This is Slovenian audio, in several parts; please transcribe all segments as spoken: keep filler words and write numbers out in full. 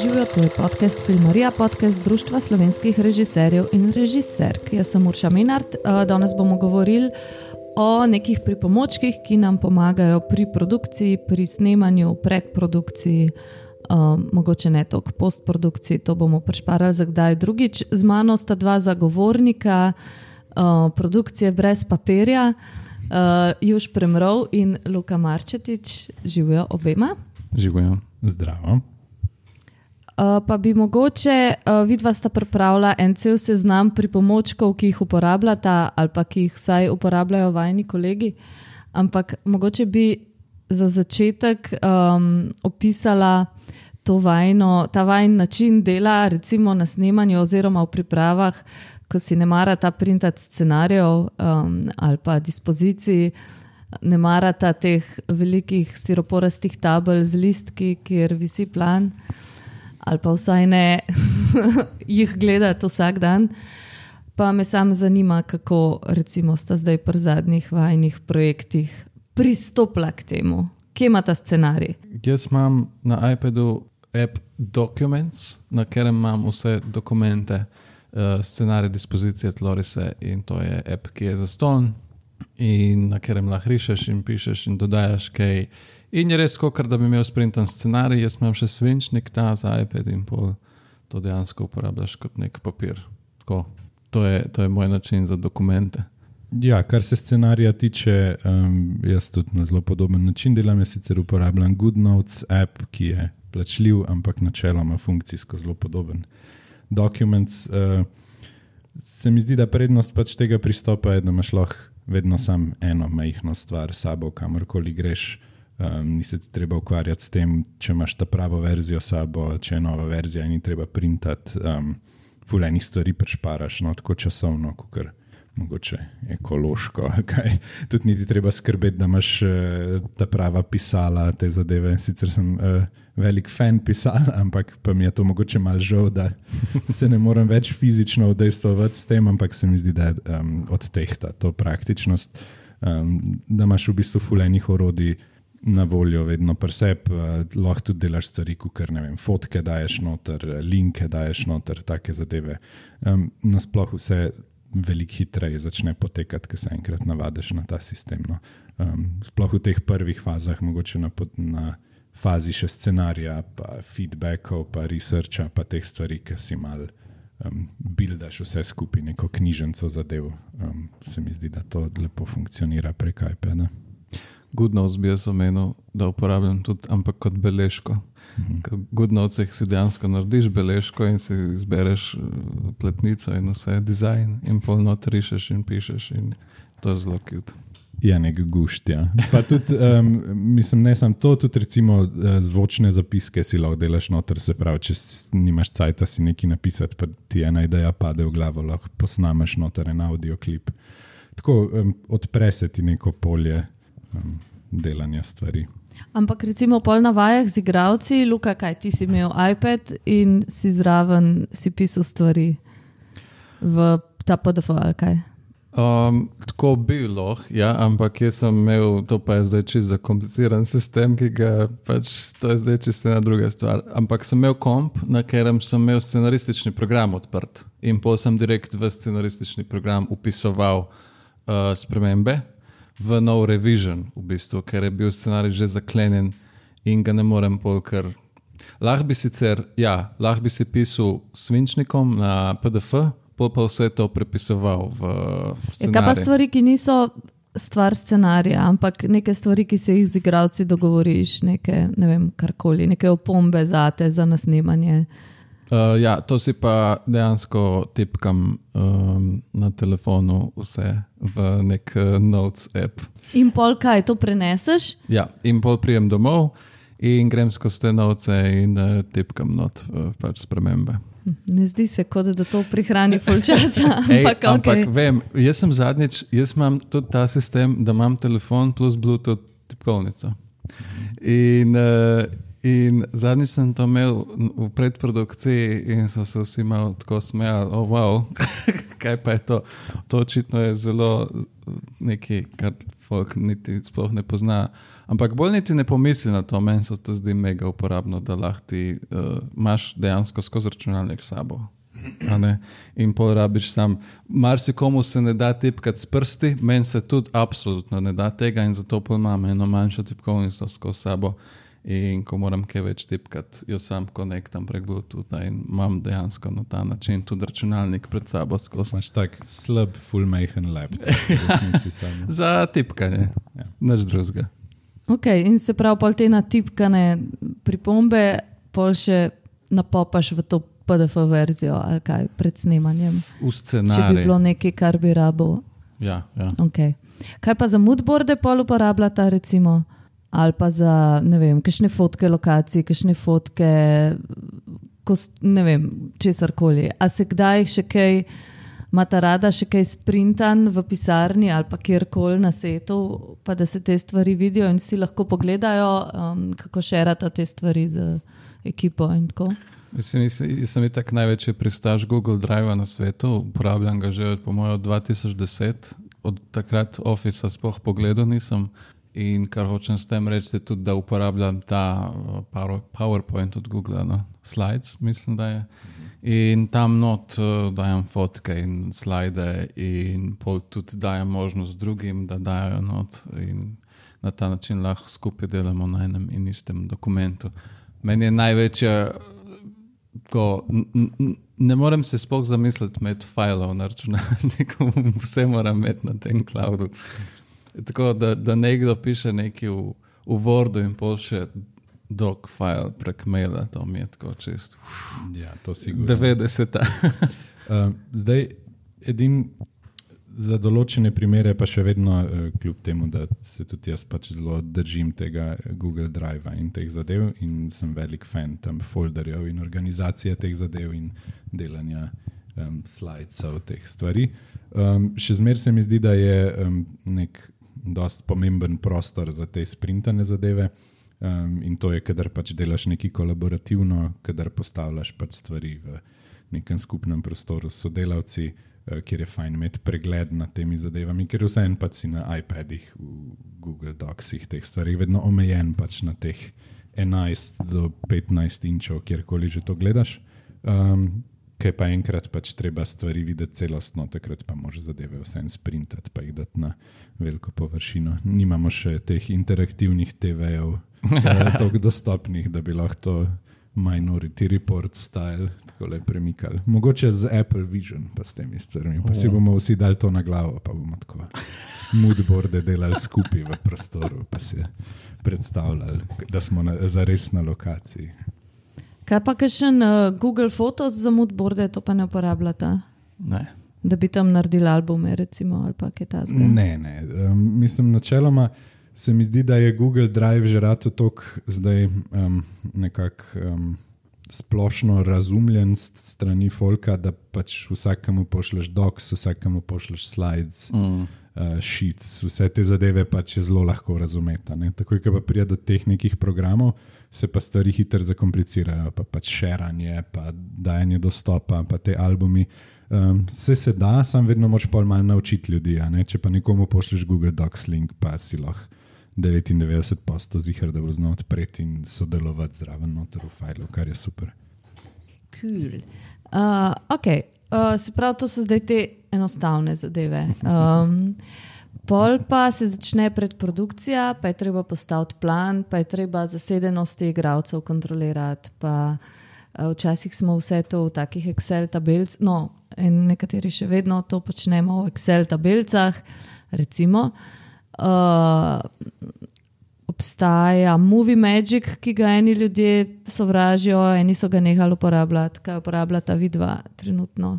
Živijo, to je podcast Filmarija, podcast Društva slovenskih režiserjev in režiserk. Jaz sem Urša Menart, danes bomo govorili o nekih pripomočkih, ki nam pomagajo pri produkciji, pri snemanju, predprodukciji, um, mogoče ne toliko postprodukciji, to bomo prišparali za kdaj drugič. Z mano sta dva zagovornika uh, produkcije brez papirja, uh, Juš Premrov in Luka Marčetič. Živijo obema. Živijo. Zdravo. Uh, pa bi mogoče, uh, vidva sta pripravila en cel seznam pripomočkov, ki jih uporabljata ali pa ki jih vsaj uporabljajo vajni kolegi, ampak mogoče bi za začetek um, opisala to vajno, ta vajn način dela, recimo na snemanju oziroma v pripravah, ko si ne marata printati scenarijev um, ali pa dispoziciji, ne marata teh velikih stiroporastih tabel z listki, kjer visi plan, ali pa vsaj ne jih gledati vsak dan. Pa me sam zanima, kako recimo sta zdaj pri zadnjih vajnih projektih pristopila k temu. Kje ima ta scenarij? Jaz imam na iPadu app Documents, na katerem imam vse dokumente, scenarij, dispozicije, tlorise, in to je app, ki je zastonj in na katerem lahko rišeš in pišeš in dodajaš kaj. In je res, kakor da bi imel sprintan scenarij. Jaz imam še svinčnik ta za iPad in pol to dejansko uporabljaš kot nek papir. Tako, to je, to je moj način za dokumente. Ja, kar se scenarija tiče, um, jaz tudi na zelo podoben način delam. Jaz sicer uporabljam GoodNotes app, ki je plačljiv, ampak načeloma funkcijsko zelo podoben. Documents, uh, se mi zdi, da prednost pač tega pristopa je, da imaš lahko vedno sam eno majhno stvar s sabo, kamorkoli greš. Um, ni se treba ukvarjati s tem, če imaš ta pravo verzijo sabo, če je nova verzija in ni treba printati, um, ful enih stvari prešparaš, no, tako časovno, kakor mogoče ekološko, kaj. Tudi niti treba skrbeti, da imaš uh, ta prava pisala, te zadeve. Sicer sem uh, velik fan pisala, ampak pa mi je to mogoče malo žal, da se ne morem več fizično udejstvovati s tem, ampak se mi zdi, da um, odtehta to praktičnost, um, da imaš v bistvu ful enih orodij na voljo vedno preseb, uh, lahko tudi delaš stvari, kukor, ne vem, fotke daješ noter, linke daješ noter, take zadeve. Um, nasploh vse veliko hitreje začne potekati, ko se enkrat navadiš na ta sistem. No. Um, sploh v teh prvih fazah, mogoče na, na fazi še scenarija, pa feedbackov, pa researcha, pa teh stvari, ki si mal um, buildaš vse skupaj, neko knjiženco zadev. Um, se mi zdi, da to lepo funkcionira prek iPada. GoodNotes bi jaz omenil, da uporabljam tudi, ampak kot beležko. V GoodNotesih si dejansko narediš beležko in si izbereš pletnico in vse, dizajn, in pol noter rišeš in pišeš in to je zelo cute. Je nek gušt, ja. Pa tudi, um, mislim, ne sam to, tudi recimo zvočne zapiske si lahko delaš noter, se pravi, če nimaš cajta si nekaj napisati, pa ti ena ideja pade v glavo, lahko posnameš noter en audioklip. Tako um, odpre se ti neko polje um, delanja stvari. Ampak recimo pol na vajah z igralci, Luka, kaj, ti si imel iPad in si zraven si pisal stvari v ta P D F ali kaj? Um, tako bi lahko, ja, ampak jaz sem imel, to pa je zdaj čisto zakompliciran sistem, ki ga pač, to je zdaj čisto ena druga stvar. Ampak sem imel komp, na katerem sem imel scenaristični program odprt in pol sem direkt v scenaristični program upisoval uh, spremembe v nov revision, v bistvu, ker je bil scenarij že zaklenjen in ga ne morem pol, ker lahko bi sicer, ja, lahko bi si pisal svinčnikom na P D F, pol pa vse to prepisoval v scenarij. Je kaj pa stvari, ki niso stvar scenarija, ampak neke stvari, ki se jih z igralci dogovoriš, neke, ne vem, karkoli, neke opombe zate za nasnemanje? Uh, ja, to si pa dejansko tipkam um, na telefonu vse v nek uh, Notes app. In pol kaj, to preneseš? Ja, in pol prijem domov in grem skozi te novce in uh, tipkam not uh, pač spremembe. Ne zdi se, kot da to prihrani ful časa. Ej, ampak, ampak okay. Vem, jaz sem zadnjič, jaz imam tudi ta sistem, da imam telefon plus Bluetooth tipkovnico. In uh, In zadnjič sem to imel v predprodukciji in so se vsi malo tako smejali, oh wow, kaj pa je to? To očitno je zelo nekaj, kar folk niti sploh ne pozna. Ampak bolj niti ne pomisli na to, meni se to zdi mega uporabno, da lahko ti uh, imaš dejansko skozi računalnik s sabo. In pol rabiš sam. Marsikomu se ne da tipkati s prsti, meni se tudi absolutno ne da tega in zato pol imam eno manjšo tipkovnico skozi sabo. In ko moram kaj več tipkati, jo sam konektam prek Bluetooth in imam dejansko na ta način tudi računalnik pred sabo. Imaš tak slab, full-majhen laptop. Za tipkanje, ja. Nič drugega. Ok, in se prav pol te natipkane pripombe pol še napopaš v to P D F verzijo ali kaj pred snemanjem. V scenarij. Če bi bilo nekaj, kar bi rabo. Ja, ja. Okay. Kaj pa za moodboarde pol uporabljata recimo? Ali pa za, ne vem, kakšne fotke lokacij, kakšne fotke, kost, ne vem, česarkoli. A se kdaj še kaj, imata rada še kaj sprintan v pisarni ali pa kjerkoli na setu, pa da se te stvari vidijo in si lahko pogledajo, um, kako šerata te stvari z ekipo in tako? Mislim, jaz sem itak največji pristaš Google Drive na svetu, uporabljam ga že od, po mojo, dva tisoč deset, od takrat Office sploh pogledal nisem. In kar hočem s tem reči, je tudi, da uporabljam ta PowerPoint od Google, no? Slides, mislim, da je. In tam not uh, dajem fotke in slide in pol tudi dajem možnost drugim, da dajo not in na ta način lahko skupaj delamo na enem in istem dokumentu. Meni je največja, ko, n, n, ne morem se sploh zamisliti med fajlov na računalniku, vse moram imeti na tem cloudu. Tako da, da nekdo piše nekaj v, v Wordu in pošlje doc file prek maila, to mi je tako čist. Ja, to sigurno. devetdeseta. uh, zdaj, edin za določene primere pa še vedno, uh, kljub temu, da se tudi jaz pač zelo držim tega Google Drive in teh zadev in sem velik fan tam folderjev in organizacije teh zadev in delanja um, slidesov teh stvari. Um, še zmer se mi zdi, da je um, nek dost pomemben prostor za te sprintane zadeve um, in to je, kadar pač delaš nekaj kolaborativno, kadar postavljaš pač stvari v nekem skupnem prostoru s sodelavci, uh, kjer je fajn imeti pregled nad temi zadevami, ker vseeno pač si na iPadih, v Google Docsih teh stvari, vedno omejen pač na teh enajst do petnajst inčov, kjerkoli že to gledaš. Um, Kaj pa enkrat pač treba stvari videti celostno, takrat pa može zadeve vsem sprintati, pa jih dati na veliko površino. Nimamo še teh interaktivnih te vejev, toliko dostopnih, da bi lahko to Minority Report style tako le premikali. Mogoče z Apple Vision pa s temi stvarmi, pa si bomo vsi dali to na glavo, pa bomo tako moodboarde delali skupaj v prostoru, pa si predstavljali, da smo na, zares na lokaciji. Kaj pa kakšen uh, Google Photos za moodboarde, to pa ne uporabljata? Ne. Da bi tam naredili albume, recimo, ali pa kaj tazga? Ne, ne. Um, mislim, načeloma se mi zdi, da je Google Drive že rato tok zdaj um, nekako um, splošno razumljen strani folka, da pač vsakemu pošleš docs, vsakemu pošleš slides, mm. uh, sheets, vse te zadeve pač je zelo lahko razumeti. Takoj, ko pa prije do teh nekih programov, se pa stvari hitro zakomplicirajo, pa pač šeranje, pa dajanje dostopa, pa te albumi. Um, vse se da, sam vedno moč pol malo naučiti ljudi, a ne? Če pa nekomu pošleš Google Docs link, pa si lahko devetindevetdeset posto ziher, da bo znal odpreti in sodelovati zraven noter v fajlu, kar je super. Cool. Uh, ok, uh, se pravi, to so zdaj te enostavne zadeve. Um, Pol pa se začne predprodukcija, pa je treba postaviti plan, pa je treba zasedenosti igralcev kontrolirati, pa uh, včasih smo vse to v takih Excel tabelcah, no, in nekateri še vedno to počnemo v Excel tabelcah, recimo. Uh, obstaja Movie Magic, ki ga eni ljudje sovražijo, eni so ga nehali uporabljati, kaj uporabljata vidva trenutno.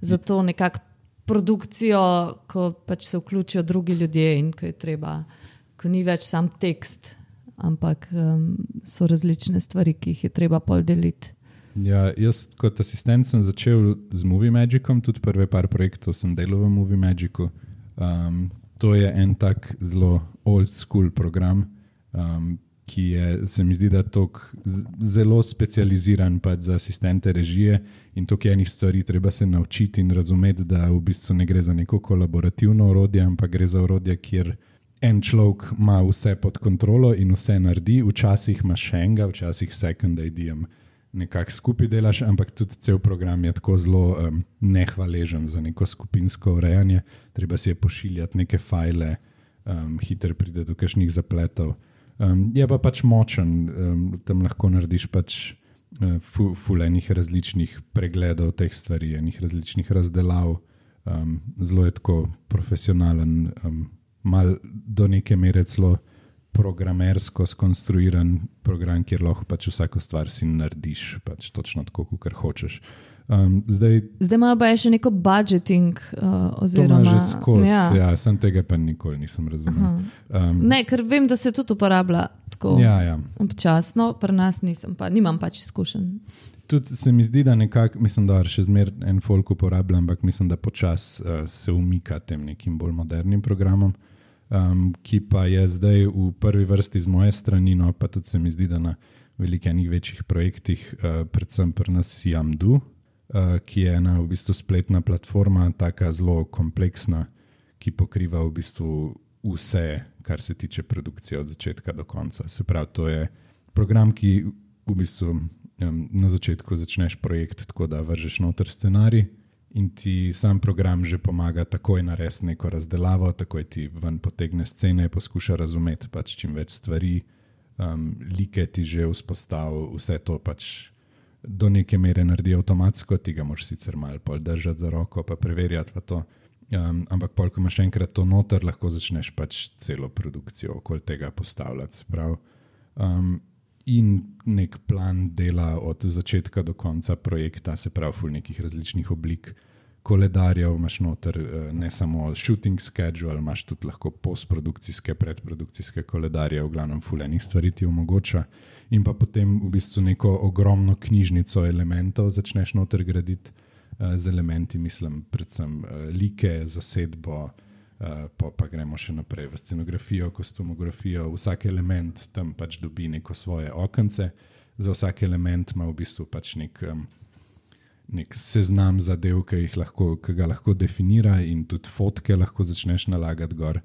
Zato nekako produkcijo, ko pač se vključijo drugi ljudje in ko je treba, ko ni več sam tekst, ampak um, so različne stvari, ki jih je treba pol deliti. Ja, jaz kot asistent sem začel z Movie Magicom, tudi prve par projektov sem delal v Movie Magicu. Um, to je en tak zelo old school program, um, ki je, se mi zdi, da tok zelo specializiran pač za asistente režije in tok enih stvari treba se naučiti in razumeti, da v bistvu ne gre za neko kolaborativno orodje, ampak gre za orodje, kjer en človek ima vse pod kontrolo in vse naredi, včasih ima še enega, včasih second idea nekako skupaj delaš, ampak tudi cel program je tako zelo um, nehvaležen za neko skupinsko urejanje. Treba si je pošiljati neke fajle, um, hitro pride do kakšnih zapletov. Um, je pa pač močen, um, tam lahko narediš pač uh, ful, ful enih različnih pregledov teh stvari, enih različnih razdelav. Um, zelo je tako profesionalen, um, mal do neke mere celo programersko skonstruiran program, kjer lahko pač vsako stvar si narediš, pač točno tako, kot hočeš. Um, zdaj, zdaj imajo pa še neko budgeting uh, oziroma... To ima že skozi, ja. ja, sem tega pa nikoli nisem razumel. Um, ne, ker vem, da se tudi uporablja tako ja, ja. občasno, pri nas nisem pa, nimam pač izkušenj. Tudi se mi zdi, da nekako, mislim, da še zmer en folk uporablja, ampak mislim, da počas uh, se umika tem nekim bolj modernim programom, um, ki pa je zdaj v prvi vrsti z moje strani, no pa tudi se mi zdi, da na velikenih večjih projektih, uh, predvsem pri nas Yamdu, uh, ki je ena v bistvu spletna platforma, taka zelo kompleksna, ki pokriva v bistvu vse, kar se tiče produkcije od začetka do konca. Se pravi, to je program, ki v bistvu na začetku začneš projekt tako, da vržeš noter scenarij in ti sam program že pomaga takoj narediti neko razdelavo, takoj ti ven potegne scene, poskuša razumeti pač čim več stvari, um, like ti že vzpostavi, vse to pač do neke mere naredi avtomatsko, ti ga moraš sicer malo pol držati za roko pa preverjati pa to, um, ampak pol, ko imaš enkrat to noter, lahko začneš pač celo produkcijo okoli tega postavljati, prav. Um, in nek plan dela od začetka do konca projekta, se pravi ful nekih različnih oblik koledarjev, imaš noter ne samo shooting schedule, imaš tudi lahko postprodukcijske, predprodukcijske koledarje, v glavnem ful enih stvari ti omogoča in pa potem v bistvu neko ogromno knjižnico elementov začneš noter graditi z elementi, mislim predvsem like, zasedbo, Uh, pa, pa gremo še naprej v scenografijo, kostumografijo, vsak element tam pač dobi neko svoje okence, za vsak element ima v bistvu pač nek, um, nek seznam zadev, ki, jih lahko, ki ga lahko definira in tudi fotke lahko začneš nalagati gor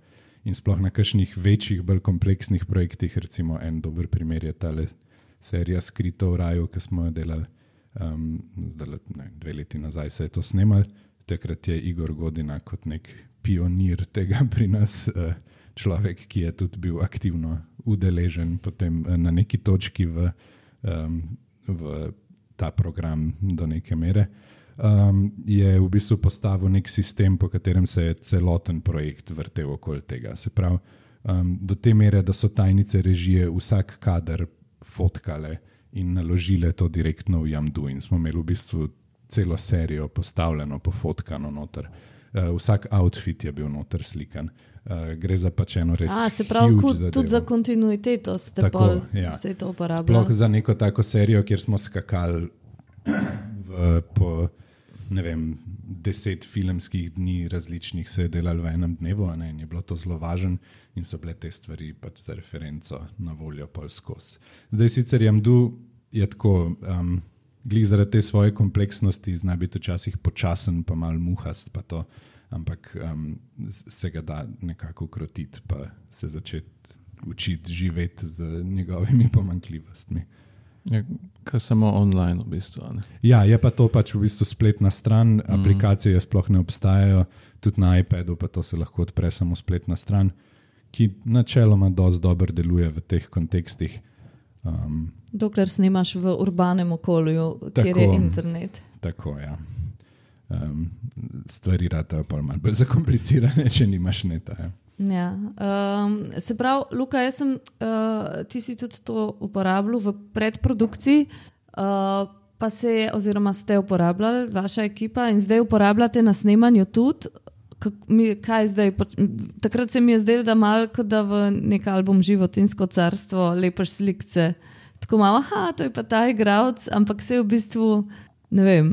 in sploh na kakšnih večjih, bolj kompleksnih projektih, recimo en dober primer je tale serija Skrito v raju, ki smo jo delali um, zdaj, ne, dve leti nazaj se je to snemali, takrat je Igor Godina kot nek pionir tega pri nas, človek, ki je tudi bil aktivno udeležen potem na neki točki v, v ta program do neke mere, je v bistvu postavil nek sistem, po katerem se je celoten projekt vrtel okoli tega. Se pravi, do te mere, da so tajnice režije vsak kader fotkale in naložile to direktno v Yamdu in smo imeli v bistvu celo serijo postavljeno, pofotkano noter. Uh, vsak outfit je bil noter slikan. Uh, gre za pač eno res A, se pravi, huge zadevo. Tudi za kontinuiteto ste tako, pol ja. Vse to uporabljali. Sploh za neko tako serijo, kjer smo skakali v, po ne vem, deset filmskih dni različnih se je delali v enem dnevu, ne, in je bilo to zelo važno in so bile te stvari pač za referenco na voljo pol skozi. Zdaj sicer Yamdu je tako... Um, glih zaradi te svoje kompleksnosti zna biti včasih počasen pa malo muhast pa to, ampak um, se ga da nekako ukrotiti pa se začeti učiti živeti z njegovimi pomanjkljivostmi. Je kar samo online v bistvu. Ne? Ja, je pa to pač v bistvu spletna stran, mm. aplikacije sploh ne obstajajo, tudi na iPadu pa to se lahko odpre samo spletna stran, ki načeloma dosti dobro deluje v teh kontekstih. Um, Dokler snimaš v urbanem okolju, tako, kjer je internet. Tako, ja. Um, stvari ratajo pa malo bolj zakomplicirane, če nimaš neta. Ja. Ja. Um, se pravi, Luka, jaz sem, uh, ti si tudi to uporabljal v predprodukciji, uh, pa se je, oziroma ste uporabljali, vaša ekipa, in zdaj uporabljate na snemanju tudi. Mi, kaj zdaj? Takrat se mi je zdelo, da malo, kot da v nek album Životinsko carstvo lepaš slikce. Tako malo, aha, to je pa ta igralec, ampak se je v bistvu, ne vem,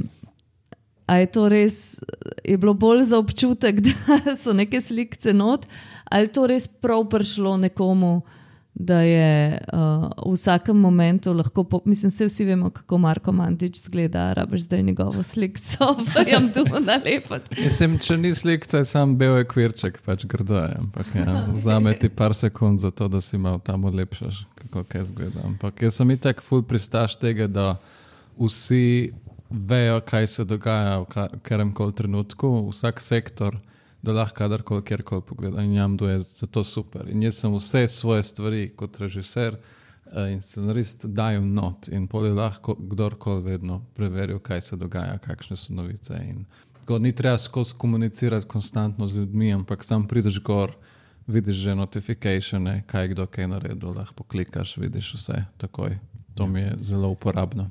a je to res, je bilo bolj za občutek, da so neke slikce not, ali to res prav prišlo nekomu da je uh, v vsakem momentu lahko, po, mislim, se vsi vemo, kako Marko Mandić zgleda, rabiš zdaj njegovo slikco, pa jam tu nalepati. Mislim, če ni slikca, je sam bel ekvirček, pač grdo je, ampak ja, vzame ti par sekund za to, da si malo tam odlepšaš, kako kaj zgleda. Ampak jaz sem itak ful pristaš tega, da vsi vejo, kaj se dogaja v katerem koli trenutku, vsak sektor, da lahko kadarkoli, kjerkoli pogleda in jam je za to super. In jaz sem vse svoje stvari kot režiser in scenarist dajal not in pol je lahko kdorkoli vedno preveril, kaj se dogaja, kakšne so novice. In tako, ni treba skozi komunicirati konstantno z ljudmi, ampak sam prideš gor, vidiš že notificatione, kaj kdo kaj naredil, lahko poklikaš, vidiš vse takoj. To mi je zelo uporabno.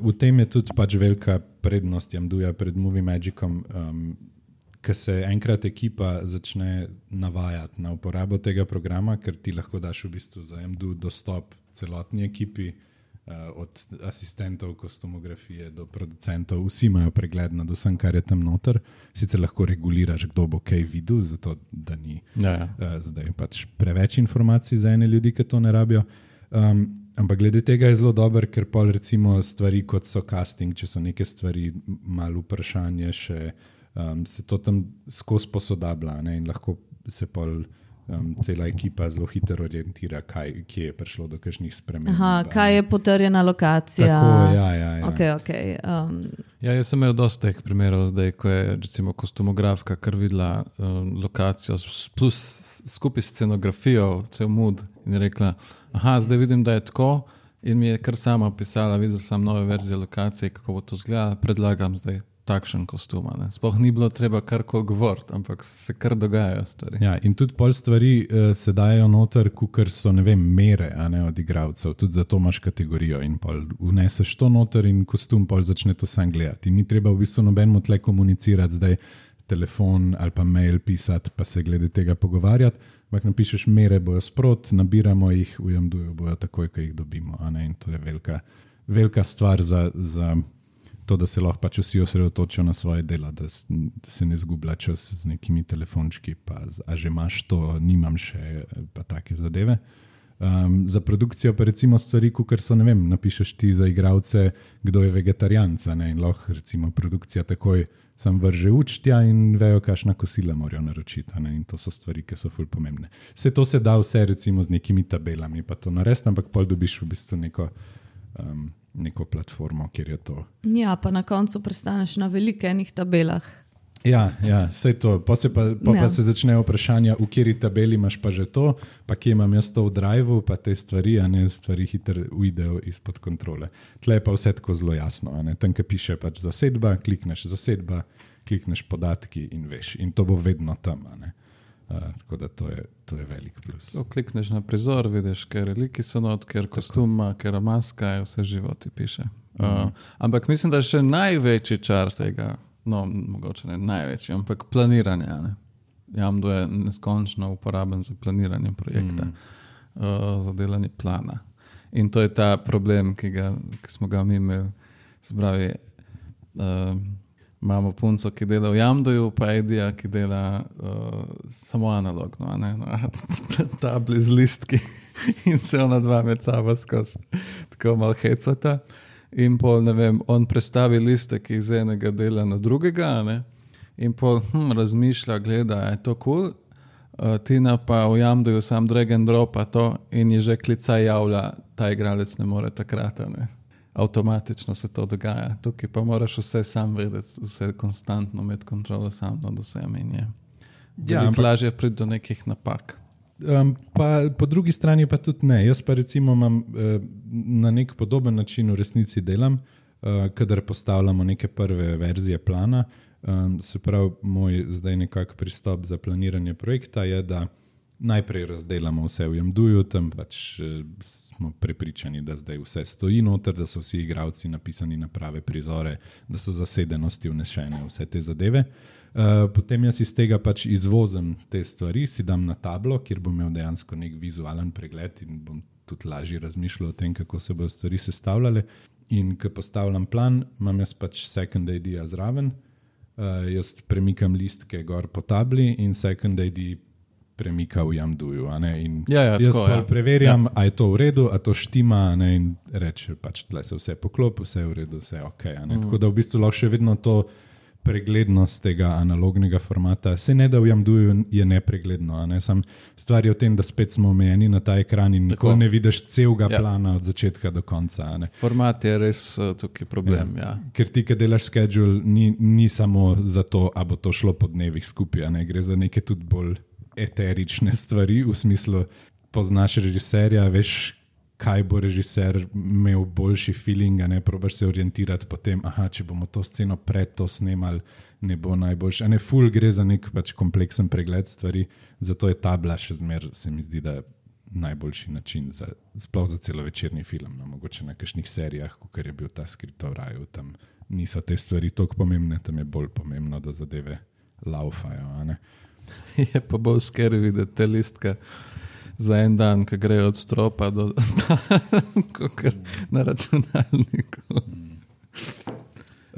V tem je tudi pač velika prednost Jamduja pred Movie Magicom, um, ko se enkrat ekipa začne navajati na uporabo tega programa, ker ti lahko daš v bistvu za Jamdu dostop celotni ekipi, uh, od asistentov, kostumografije do producentov, vsi imajo pregled nad vsem, kar je tam noter. Sicer lahko reguliraš, kdo bo kaj videl, zato da ni ja, ja. Uh, zdaj pač preveč informacij za ene ljudi, ki to ne rabijo. Um, ampak glede tega je zelo dober, ker pol recimo stvari kot so casting, če so neke stvari malo vprašanje še, Um, se to tam skozi posodablja, ne? In lahko se pol um, cela ekipa zelo hitro orientira, kaj, kje je prišlo do kakšnih sprememb. Aha, kaj je potrjena lokacija. Tako, ja, ja, ja. Okay, okay, um. Ja, jaz sem imel dosta teh primerov zdaj, ko je recimo kostumografka kar videla um, lokacijo plus skupaj scenografijo, cel mood in je rekla, aha, zdaj vidim, da je tako in mi je kar sama pisala, videl sem nove verzije lokacije, kako bo to izgledalo, predlagam zdaj takšen kostum. Sploh ni bilo treba karkoli govoriti, ampak se kar dogajajo stvari. Ja, in tudi pol stvari uh, se dajo noter, kukor so, ne vem, mere, a ne, od igralcev. Tudi zato imaš kategorijo in pol vneseš to noter in kostum pol začne to sam gledati. In ni treba v bistvu nobenemu tle komunicirati, zdaj telefon ali pa mail pisati, pa se glede tega pogovarjati. Ampak napišeš mere, bojo sprot, nabiramo jih, v Jamduju bojo takoj, ko jih dobimo. A ne? In to je velika, velika stvar za, za to, da se lahko pač vsi osredotočijo na svoje delo, da, da se ne zgublja čas z nekimi telefončki, pa a že imaš to, nimam še, pa take zadeve. Um, za produkcijo pa recimo stvari, kukor so, ne vem, napišeš ti za igralce, kdo je vegetarijanca, ne, in lahko recimo produkcija takoj sam vrže učtja in vejo, kakšna kosila morajo naročiti, ne, in to so stvari, ki so ful pomembne. Vse to se da vse recimo z nekimi tabelami, pa to narediti, ampak pol dobiš v bistvu neko um, neko platformo, kjer je to. Ja, pa na koncu prestaneš na velikenih tabelah. Ja, ja, sej to. Pa se, pa, pa, ja. pa se začnejo vprašanja, v kateri tabeli imaš pa že to, pa kje imam jaz to v driveu, pa te stvari, a ne, stvari hitro uidejo izpod kontrole. Tle je pa vse tako zelo jasno. A ne. Tam, ki piše pač zasedba, klikneš zasedba, klikneš podatki in veš. In to bo vedno tam, a ne. Uh, tako da to je, to je velik plus. To klikneš na prizor, vidiš, ker reliki so not, ker kostuma, ker maska, je vse živo ti piše. Uh, mm. Ampak mislim, da je še največji čar tega, no, mogoče ne največji, ampak planiranje. Ne? Jamdu je neskončno uporaben za planiranje projekta, mm. uh, za delanje plana. In to je ta problem, ki, ga, ki smo ga mi imeli. Se pravi, uh, imamo punco, ki dela v Jamduju, pa Edija, ki dela uh, samo analogno, ne? Tabli z listki in se ona dva med sabo skozi tako malo hecata. In pol, ne vem, on prestavi listek iz enega dela na drugega, ne? In pol hm, razmišlja, gleda, je to cool, uh, Tina pa v Jamduju sam drag and drop a to in je že klica javlja, ta igralec ne more takrat, ne? Avtomatično se to dogaja. Tukaj pa moraš vse sam vedeti, vse konstantno med kontrolo sam nad vsem in je ja, ampak lažje priti do nekih napak. Um, pa po drugi strani pa tudi ne. Jaz pa recimo imam uh, na nek podoben način v resnici delam, uh, kadar postavljamo neke prve verzije plana. Um, se pravi, moj zdaj nekak pristop za planiranje projekta je, da najprej razdelamo vse v Jamduju, tam pač eh, smo prepričani, da zdaj vse stoji noter, da so vsi igralci napisani na prave prizore, da so zasedenosti vnešene, vse te zadeve. Uh, potem jaz iz tega pač izvozim te stvari, si dam na tablo, kjer bom imel dejansko nek vizualen pregled in bom tudi lažje razmišljal o tem, kako se bodo stvari sestavljale. In ko postavljam plan, imam jaz pač second idea zraven, uh, jaz premikam listke gor po tabli in second idea premika v Jamduju. A ne, in Ja, ja, jaz tako, pa ja. preverjam, a je to v redu, a to štima, a ne, in reče, pač tle se vse poklopi, vse je v redu, vse je ok. A ne. Tako da v bistvu lahko še vedno to preglednost tega analognega formata. Se ne da v Jamduju je nepregledno, a ne? Sam stvar je v tem, da spet smo omejeni na ta ekran in nikoli ne vidiš celega Ja. plana od začetka do konca. A ne? Format je res uh, tukaj problem. Ja. Ja. Ker ti, ki delaš schedule, ni, ni samo za to, a bo to šlo po dnevih skupaj, a ne? Gre za neke tudi bolj eterične stvari, v smislu poznaš režiserja, veš, kaj bo režiser imel boljši feeling, a ne probaš se orientirati potem, aha, če bomo to sceno pred to snemali, ne bo najboljši. A ne, ful gre za nek pač kompleksen pregled stvari, zato je tabla še zmer, se mi zdi, da najboljši način, za, sploh za celovečerni film. No, mogoče na kakšnih serijah, kot je bil ta Skript v raju, tam niso te stvari toliko pomembne, tam je bolj pomembno, da zadeve laufajo. A ne? Je pa bolj scary videti te listke za en dan, ki grejo od stropa do kakor na računalniku. Um,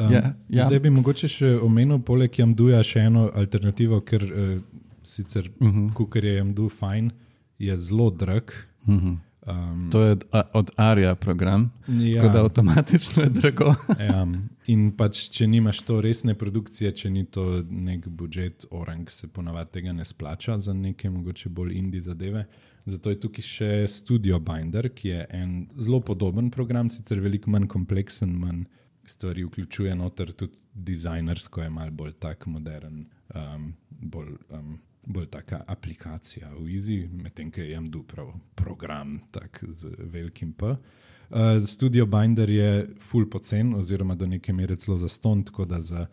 Ja, ja. Zdaj bi mogoče še omenil poleg Jamduja še eno alternativo, ker uh, sicer uh -huh. kukor je Jamdu fajn, je zelo drag. Uh -huh. Um, To je od, od Arja program, Ja. tako da avtomatično je drago. ja, in pač, če nimaš to resne produkcije, če ni to nek budžet, orang se ponavadi tega ne splača za neke mogoče bolj indie zadeve. Zato je tukaj še Studio Binder, ki je en zelo podoben program, sicer veliko manj kompleksen, manj stvari vključuje noter, tudi dizajnersko je malo bolj tak modern, um, bolj, um, bolj taka aplikacija v Easy, medtem ko je Jamdu prav program tak z velikim P. Uh, Studio Binder je full pocen oziroma do neke mere celo zastonj, tako da za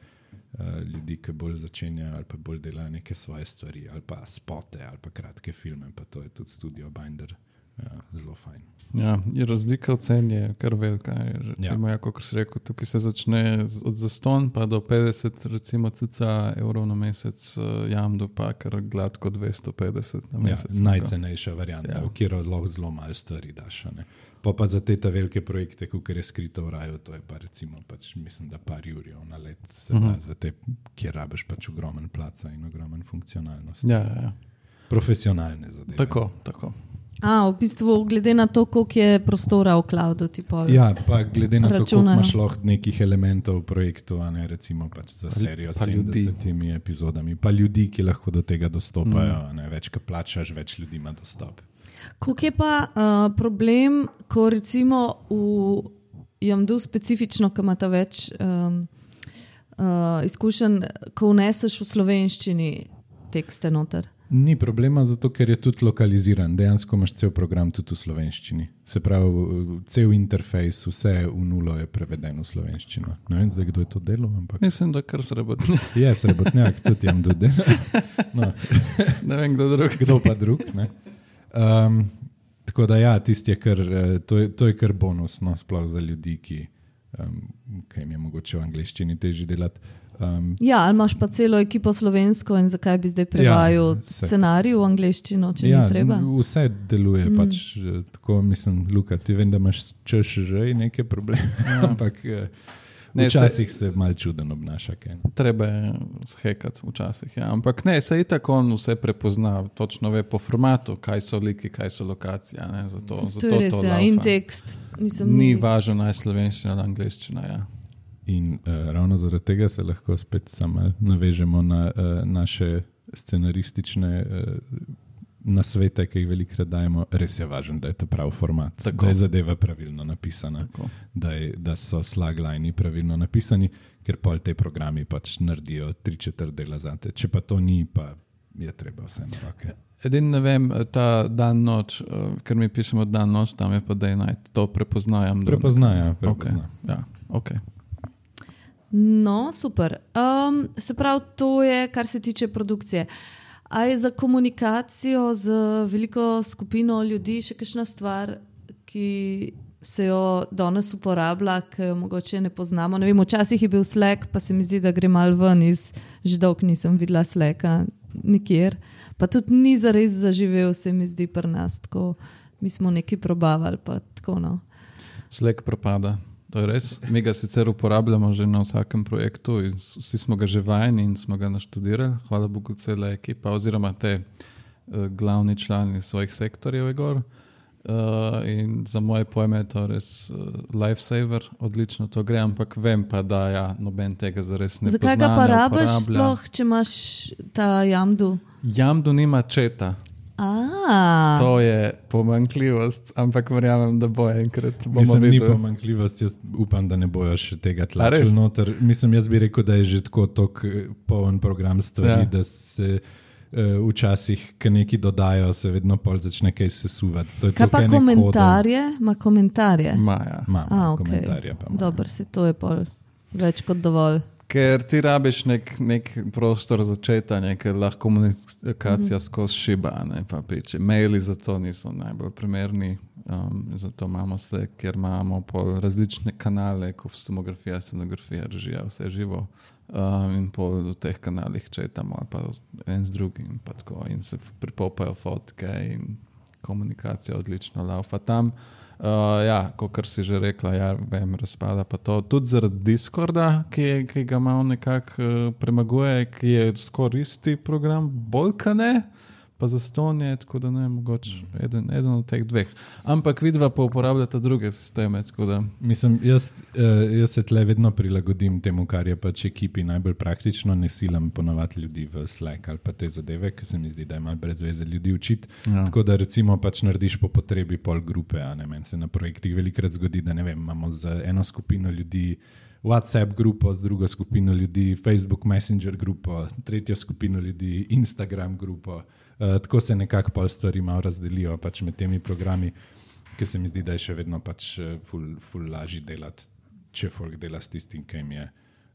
uh, ljudi, ki bolj začenjajo ali pa bolj delajo neke svoje stvari ali pa spote ali pa kratke filme, pa to je tudi Studio Binder uh, zelo fajn. Ja, je razlika v ceni je kar velika. Recimo, Ja. ja, kot si rekel, tukaj se začne z- od zastonj pa do petdeset recimo cca evrov na mesec, uh, Jamdu pa kar gladko dvesto petdeset na Ja, mesec. najcenejša varianta, Ja. v katero lahko zelo malo stvari daš. a ne. Pa pa za te ta velike projekte, kot je Skrito v raju, to je pa recimo, pač, mislim, da par jurjev na let se da, za te, kjer rabiš pač ogromen placa in ogromen funkcionalnost. Ja, ja, ja. Profesionalne zadeve. Tako, tako. A, v bistvu, glede na to, koliko je prostora v cloudu, ti pol. Ja, pa glede na to, koliko Računajo. imaš lahko nekih elementov v projektu, a ne recimo pač za serijo s pa ljudi. sedemdesetimi epizodami, pa ljudi, ki lahko do tega dostopajo, a ne, več, ko plačaš, več ljudi ima dostop. Koliko je pa uh, problem, ko recimo v Jamdu specifično, ki imata več um, uh, izkušenj, ko vneseš v slovenščini tekste noter? Ni problema, zato ker je tudi lokaliziran. Dejansko imaš cel program tudi v slovenščini. Se pravi, cel interfejs, vse v nulo je preveden v slovenščino. Ne vem, zdaj, kdo je to delal, ampak Mislim, da kar srebotne. je srebotnjak, tudi jam dodel. No, Ne vem, kdo drug. kdo pa drug. Ne? Um, tako da ja, tisti je kar, eh, to je, to je kar bonus, no, sploh za ljudi, ki, um, ki jim je mogoče v angleščini težje delati. Um, Ja, ali imaš pa celo ekipo slovensko in zakaj bi zdaj prevajal Ja, se- scenarij v angleščino, če ja, ni treba? vse deluje, mm. pač eh, tako mislim, Luka, ti vem, da imaš češ že neke probleme, ja. ampak eh, Ne, včasih se mal čuden obnaša. Kaj. Treba je shekati včasih. Ja. Ampak ne, se itak on vse prepozna, točno ve po formatu, kaj so liki, kaj so lokacije. Ne, zato, To zato je res, to ja, laufa. in tekst. Mislim, Ni važno naj slovenščina ali angleščina. Ja. In uh, ravno zaradi tega se lahko spet samo navežemo na uh, naše scenaristične uh, nasvete, ki jih velikokrat dajemo. Res je važno, da je to prav format, Tako. da je zadeva pravilno napisana, da, je, da so slaglajni pravilno napisani, ker pol te programi pač naredijo tri četrt dela zate. Če pa to ni, pa je treba vse na roke. Edin ne vem, ta dan noč, uh, ker mi pišemo dan noč, tam je pa day night, to prepoznajam. Prepoznajo, Okay. prepozna. Ja, okay. No, super. Um, se pravi, to je, kar se tiče produkcije. A je za komunikacijo z veliko skupino ljudi še kakšna stvar, ki se jo danes uporablja, ki jo mogoče ne poznamo? Ne vem, včasih je bil Slack, pa se mi zdi, da gre mal ven iz, že dolgo nisem videla Slacka nikjer. Pa tudi ni zares zaživel, se mi zdi pri nas. Tako, mi smo nekaj probavali, pa tako no. Slack propada. To je res. Mi ga sicer uporabljamo že na vsakem projektu in vsi smo ga že vajeni in smo ga naštudirali. Hvala Bogu, cela ekipa oziroma te uh, glavni člani svojih sektorjev je gor. Uh, in za moje pojme je to res uh, lifesaver, odlično to gre, ampak vem pa, da ja, noben tega zares ne pozna. Zakaj ga pa rabiš sploh, če imaš ta Jamdu? Jamdu nima četa. A. To je pomanjkljivost, ampak verjamem, da bo enkrat. Mislim, ni pomanjkljivost, jaz upam, da ne bojo še tega tlačili noter. Mislim, jaz bi rekel, da je že tako tok poln program stvari, ja. Da se uh, včasih, ko neki dodajo, se vedno pol začne kaj sesuvati. Kaj pa komentarje? Ma komentarje? Ma, ja. Ma, A, ma, okay. komentarje pa ma. Dobar si, to je pol več kot dovolj. Ker ti rabiš nek, nek prostor za četanje, ker lahko komunikacija mm-hmm. skozi šiba, ne pa piče. Maili za to niso najbolj primerni, um, zato imamo se, ker imamo pol različne kanale, kostumografija, scenografija, režija, vse živo. Um, in pol v teh kanalih četamo, pa en z drugim, pa tako, in se pripopajo fotke in komunikacija odlično laufa tam. Uh, ja, kot si že rekla, ja, vem, razpada pa to. Tudi zaradi Discorda, ki, ki ga malo nekako uh, premaguje, ki je skoraj isti program, bolj ka ne, pa zaston je, tako da ne, mogoče eden, eden od teh dveh. Ampak vidva pa uporabljata druge sisteme, tako da... Mislim, jaz, uh, jaz se tle vedno prilagodim temu, kar je pač ekipi najbolj praktično, ne silam ponovati ljudi v Slack ali pa te zadeve, ker se mi zdi, da je malo brez veze ljudi učiti. Ja. Tako da recimo pač narediš po potrebi pol grupe, a ne, meni se na projektih velikrat zgodi, da ne vem, imamo za eno skupino ljudi WhatsApp grupo, z drugo skupino ljudi Facebook Messenger grupo, tretjo skupino ljudi Instagram grupo. Uh, tako se nekako pol stvari malo razdelijo pač med temi programi, ki se mi zdi, da je še vedno pač ful, ful lažji delati, če folk dela s tistim, ki jim je,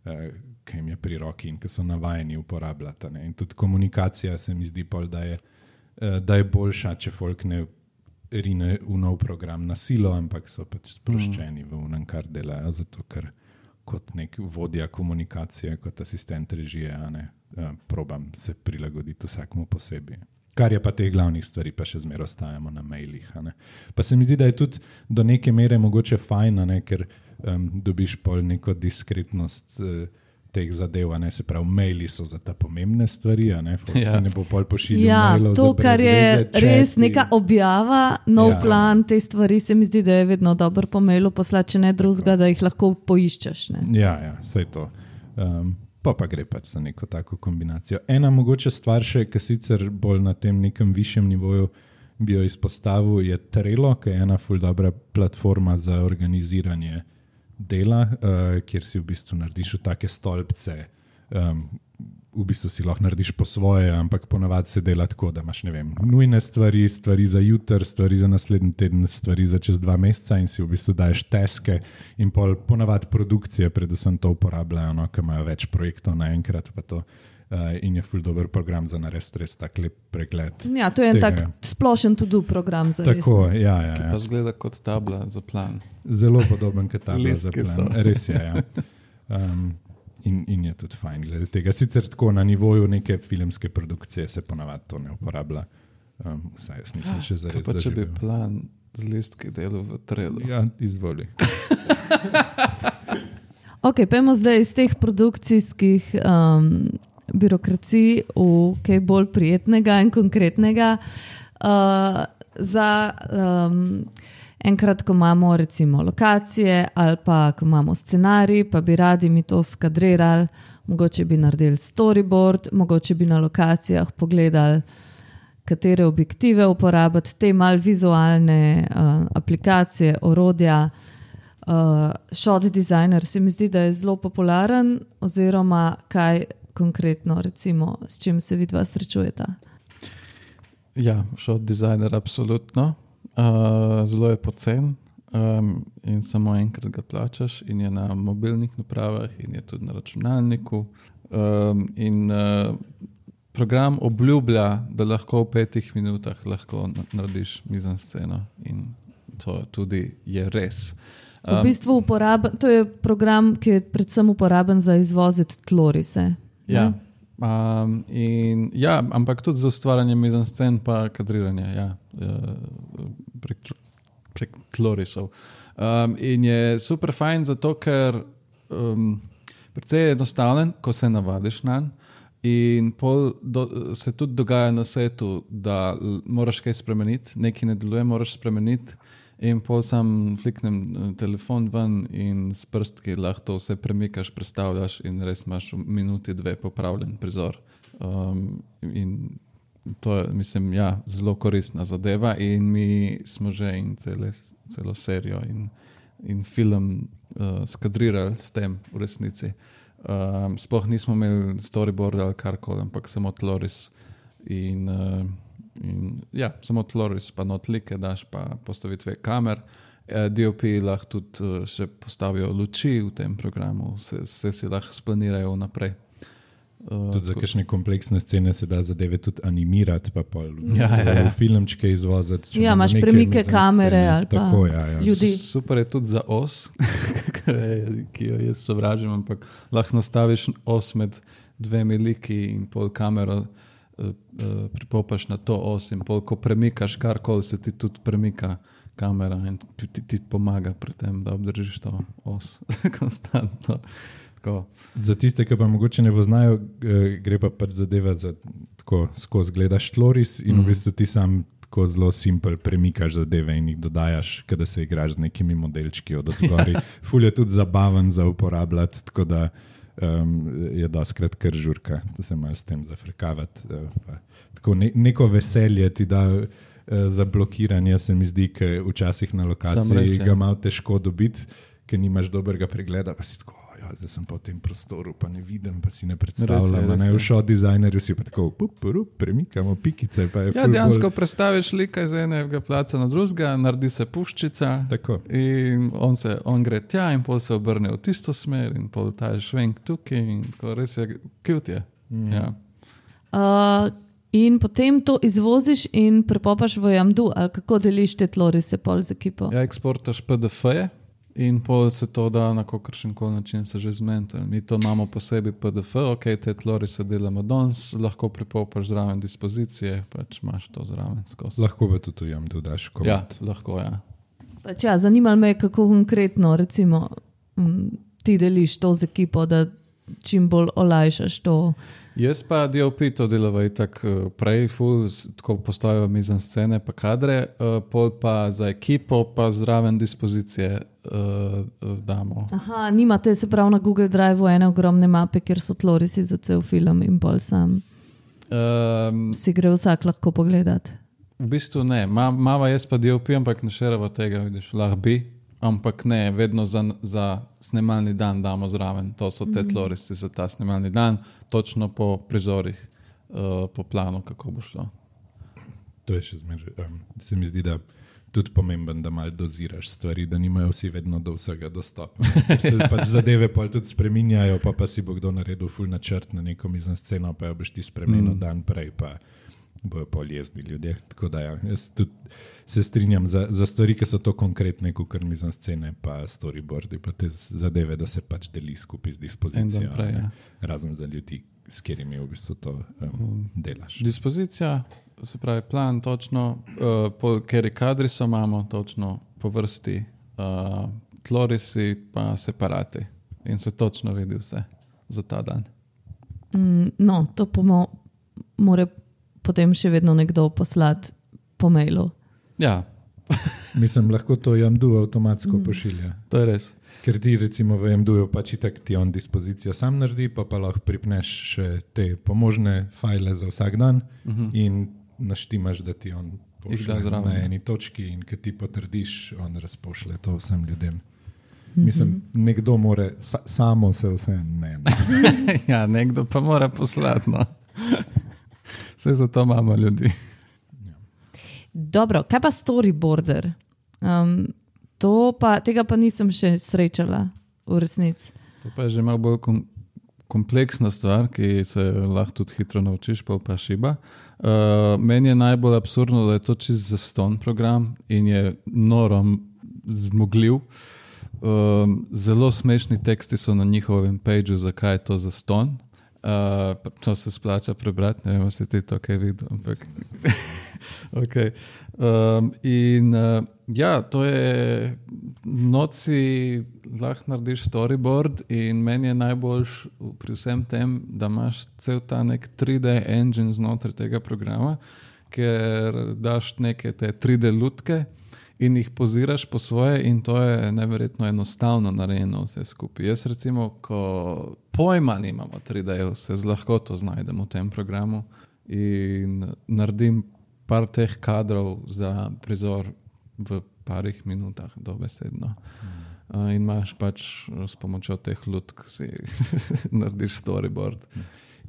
uh, ki jim je pri roki in ki so navajeni uporabljati. Ne? In tudi komunikacija se mi zdi pol, da je, uh, da je boljša, če folk ne rine v nov program na silo, ampak so pač sproščeni mm. v unem, kar delajo, zato ker kot nek vodja komunikacije, kot asistent režije, a ne, uh, probam se prilagoditi vsakmu posebej. Kar je pa teh glavnih stvari, pa še zmeraj ostajamo na mailih. A ne. Pa se mi zdi, da je tudi do neke mere mogoče fajn, a ne, ker um, dobiš pol neko diskretnost uh, teh zadev, a ne, se pravi, maili so za ta pomembne stvari, a ne, folk ja. Se ne bo pol pošiljal ja, mailov to, za brez kar je veze, res četi. Neka objava, nov Ja. plan, te stvari se mi zdi, da je vedno dobro po mailu poslati, če ne drugega, da jih lahko poiščeš. Ne? Ja, ja, saj to. Um, pa pa gre pač za neko tako kombinacijo. Ena mogoče stvar še, ki sicer bolj na tem nekem višjem nivoju bi jo izpostavil, je Trello, ki je ena ful dobra platforma za organiziranje dela, uh, kjer si v bistvu narediš v take stolpce, um, v bistvu si lahko narediš po svoje, ampak ponavadi se dela tako, da imaš, ne vem, nujne stvari, stvari za jutr, stvari za naslednji teden, stvari za čez dva meseca in si v bistvu daješ taske in pol ponavadi produkcije predvsem to uporabljajo, no, ki imajo več projektov naenkrat pa to. Uh, in je ful dober program za narediti res tak lep pregled. Ja, to je en tega. tak splošen to-do program za res. Tako, ja, ja, Ki ja. pa zgleda kot tabla za plan. Zelo podoben kot tabla za Listki plan. so. Res je, ja. Um, In, in je tudi fajn glede tega. Sicer tako na nivoju neke filmske produkcije se ponavadi to ne uporablja. Um, vsaj jaz nisem še zares Kaj pa če bi doživel. plan z listki delal v Trello? Ja, izvoli. Ok, pojmo zdaj iz teh produkcijskih um, birokracij v kaj bolj prijetnega in konkretnega. Uh, za um, enkrat, ko imamo recimo lokacije ali pa ko imamo scenarij, pa bi radi mi to skadrirali, mogoče bi naredili storyboard, mogoče bi na lokacijah pogledali, katere objektive uporabiti, te mal vizualne uh, aplikacije, orodja. Uh, shot designer se mi zdi, da je zelo popularen, oziroma kaj konkretno, recimo, s čim se vidva srečujeta? Ja, shot designer absolutno. Uh, zelo je pocen um, in samo enkrat ga plačaš in je na mobilnih napravah in je tudi na računalniku. Um, in uh, program obljublja, da lahko v petih minutah lahko narediš mizansceno in to tudi je res. V bistvu uporaben, to je program, ki je predvsem uporaben za izvoziti tlorise. Ja, um, in, ja, ampak tudi za ustvarjanje mizanscen pa kadriranje, ja, prek, prek tlorisov. Um, in je super fajn zato, ker um, precej je enostaven, ko se navadiš nanj In pol do, se tudi dogaja na setu, da moraš kaj spremeniti, nekaj ne deluje, moraš spremeniti. In pol sam fliknem telefon ven in s prstki lahko vse premikaš, predstavljaš in res imaš v minuti dve popravljen prizor. Um, in to je, mislim, ja, zelo koristna zadeva in mi smo že in cele, celo serijo in, in film uh, skadrirali s tem v resnici. Um, sploh nismo imeli storyboard ali karkoli, ampak samo tloris in... Uh, In, ja, samo tloris, pa notlike daš, pa postavitve kamer. D O P lahko tudi še postavijo luči v tem programu, vse, vse si lahko splanirajo naprej. Tudi za kakšne kompleksne scene se da zadeve tudi animirati, pa pol ja, ja, ja. filmčke izvoziti. Ja, imaš premike kamere ali pa tako, ja, ja. ljudi. Super je tudi za os, ki jo jaz sovražim, ampak lahko nastaviš os med dvemi liki in pol kamero pripopaš na to os in pol, ko premikaš karkoli, se ti tudi premika kamera in ti, ti pomaga pri tem, da obdržiš to os konstantno. Tako. Za tiste, ki pa mogoče ne poznajo, gre pa pač zadeva za tako skozi gledaš tloris in mm. v bistvu ti sam tako zelo simpel premikaš zadeve in jih dodajaš, kada se igraš z nekimi modelčki od odzgori. Ful je tudi zabaven za uporabljati, tako da Um, je doskrat kar žurka, da se malo s tem zafrkavati. Uh, tako ne, neko veselje ti da uh, za blokiranje, se mi zdi, ker včasih na lokaciji res, ga malo težko dobiti, ker nimaš dobrega pregleda, pa si tako, ja, zdaj sem pa v tem prostoru, pa ne vidim, pa si ne predstavljam. Ne, v show designerju si pa tako, pup, pup, premikamo pikice. Pa je ja, dejansko bolj... predstaviš lika iz enega placa na drugega, naredi se puščica tako. In on, se, on gre tja in pol se obrne v tisto smer in pol ta je švenk tukaj in tako res je cute je. Mm. Ja. Uh, in potem to izvoziš in prepopaš v Jamdu, ali kako deliš te tlorise pol z ekipo? Ja, eksportaš P D F-je. In pol se to da na kakršen koli način se že zmeni. Mi to imamo posebej P D F, ok, te tlori se delamo danes, lahko pripopaš zraven dispozicije, pač imaš to zraven skozi. Lahko pa tudi jam dodaš koment. Ja, lahko, ja. Pač ja, zanimalo me, kako konkretno recimo m, ti deliš to z ekipo, da čim bolj olajšaš to. Jaz pa D O P to delava itak prej, ful, tako postavijo mizan scene pa kadre, pol pa za ekipo pa zraven dispozicije uh, damo. Aha, nimate se prav na Google Drive ene ogromne mape, kjer so tlorisi za cel film in pol sam um, si gre vsak lahko pogledati. V bistvu ne, Ma, mava jaz pa D O P, ampak ne šerava tega, vidiš, lahko bi, ampak ne, vedno za, za snemalni dan damo zraven. To so te tlorisi za ta snemalni dan, točno po prizorih, uh, po planu, kako bo šlo. To je še zmeraj. Um, se mi zdi, da tudi pomemben, da malo doziraš stvari, da nimajo vsi vedno do vsega dostopa. Se pač zadeve pol tudi spreminjajo, pa pa si bo kdo naredil ful načrt na neko mizno sceno, pa jo boš ti spremenil mm. dan prej, pa bojo pol jezni ljudje. Tako da ja, jaz tudi se strinjam za, za stvari, ki so to konkretne, kot mizno scene, pa storyboardi, pa te zadeve, da se pač deli skupaj z dispozicijo. Prej, ja. Razen za ljudi, s katerimi v bistvu to um, delaš. Dispozicija, se pravi plan, točno, uh, po kateri kadri so imamo, točno po vrsti, uh, tlorisi pa separati. In se točno vidi vse za ta dan. Mm, no, to pa mo- more potem še vedno nekdo poslati po mailu. Ja. Mislim, lahko to Jamdu avtomatsko mm. pošilja. To je res. Ker ti recimo v Jamduju pač itak ti on dispozicijo sam naredi, pa pa lahko pripneš še te pomožne fajle za vsak dan mm-hmm. in naštimaš, da ti on pošlje na eni točki in kad ti potrdiš, on razpošlje to vsem ljudem. Mm-hmm. Mislim, nekdo more, sa, samo se vse ne. ne. Ja, nekdo pa mora poslati, no. Vse zato imamo ljudi. Dobro, kaj pa storyboarder? Um, to pa, tega pa nisem še srečala v resnici. To pa je že malo bolj kom- kompleksna stvar, ki se lahko tudi hitro naučiš, pa pa šiba. Uh, meni je najbolj absurdno, da je to čist zaston program in je noro zmogljiv. Um, zelo smešni teksti so na njihovem pageu, zakaj je to zaston. Uh, to se splača prebrati, ne vem, si ti to kaj videl, ampak okay. um, in uh, ja, to je noci lahko narediš storyboard in meni je najboljš pri vsem tem, da imaš cel ta nek tri D engine znotraj tega programa, ker daš neke te tri D lutke in jih poziraš po svoje in to je neverjetno enostavno narejeno vse skupaj. Jaz recimo, ko pojma nimamo tri D-jev, se z lahkoto znajdem v tem programu in naredim par teh kadrov za prizor v parih minutah dobesedno. Uh, in imaš pač s pomočjo teh lutk si narediš storyboard.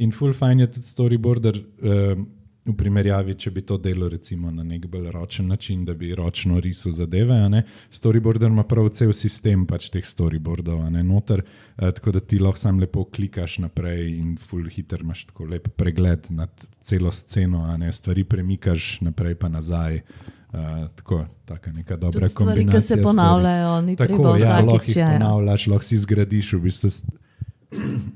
In full fine je tudi storyboarder uh, v primerjavi, če bi to delo recimo na nek bolj ročen način, da bi ročno risal zadeve, a ne. Storyboarder ima prav cel sistem pač teh storyboardov, a ne, noter, uh, tako da ti lahko sam lepo klikaš naprej in full hiter imaš tako lep pregled nad celo sceno, a ne, stvari premikaš naprej pa nazaj. Uh, tako, taka neka dobra stvari, kombinacija. Tudi stvari, ki se ponavljajo, ni tako, treba vsakič. Ja, lahko jih ponavljaš, lahko si zgradiš v bistvu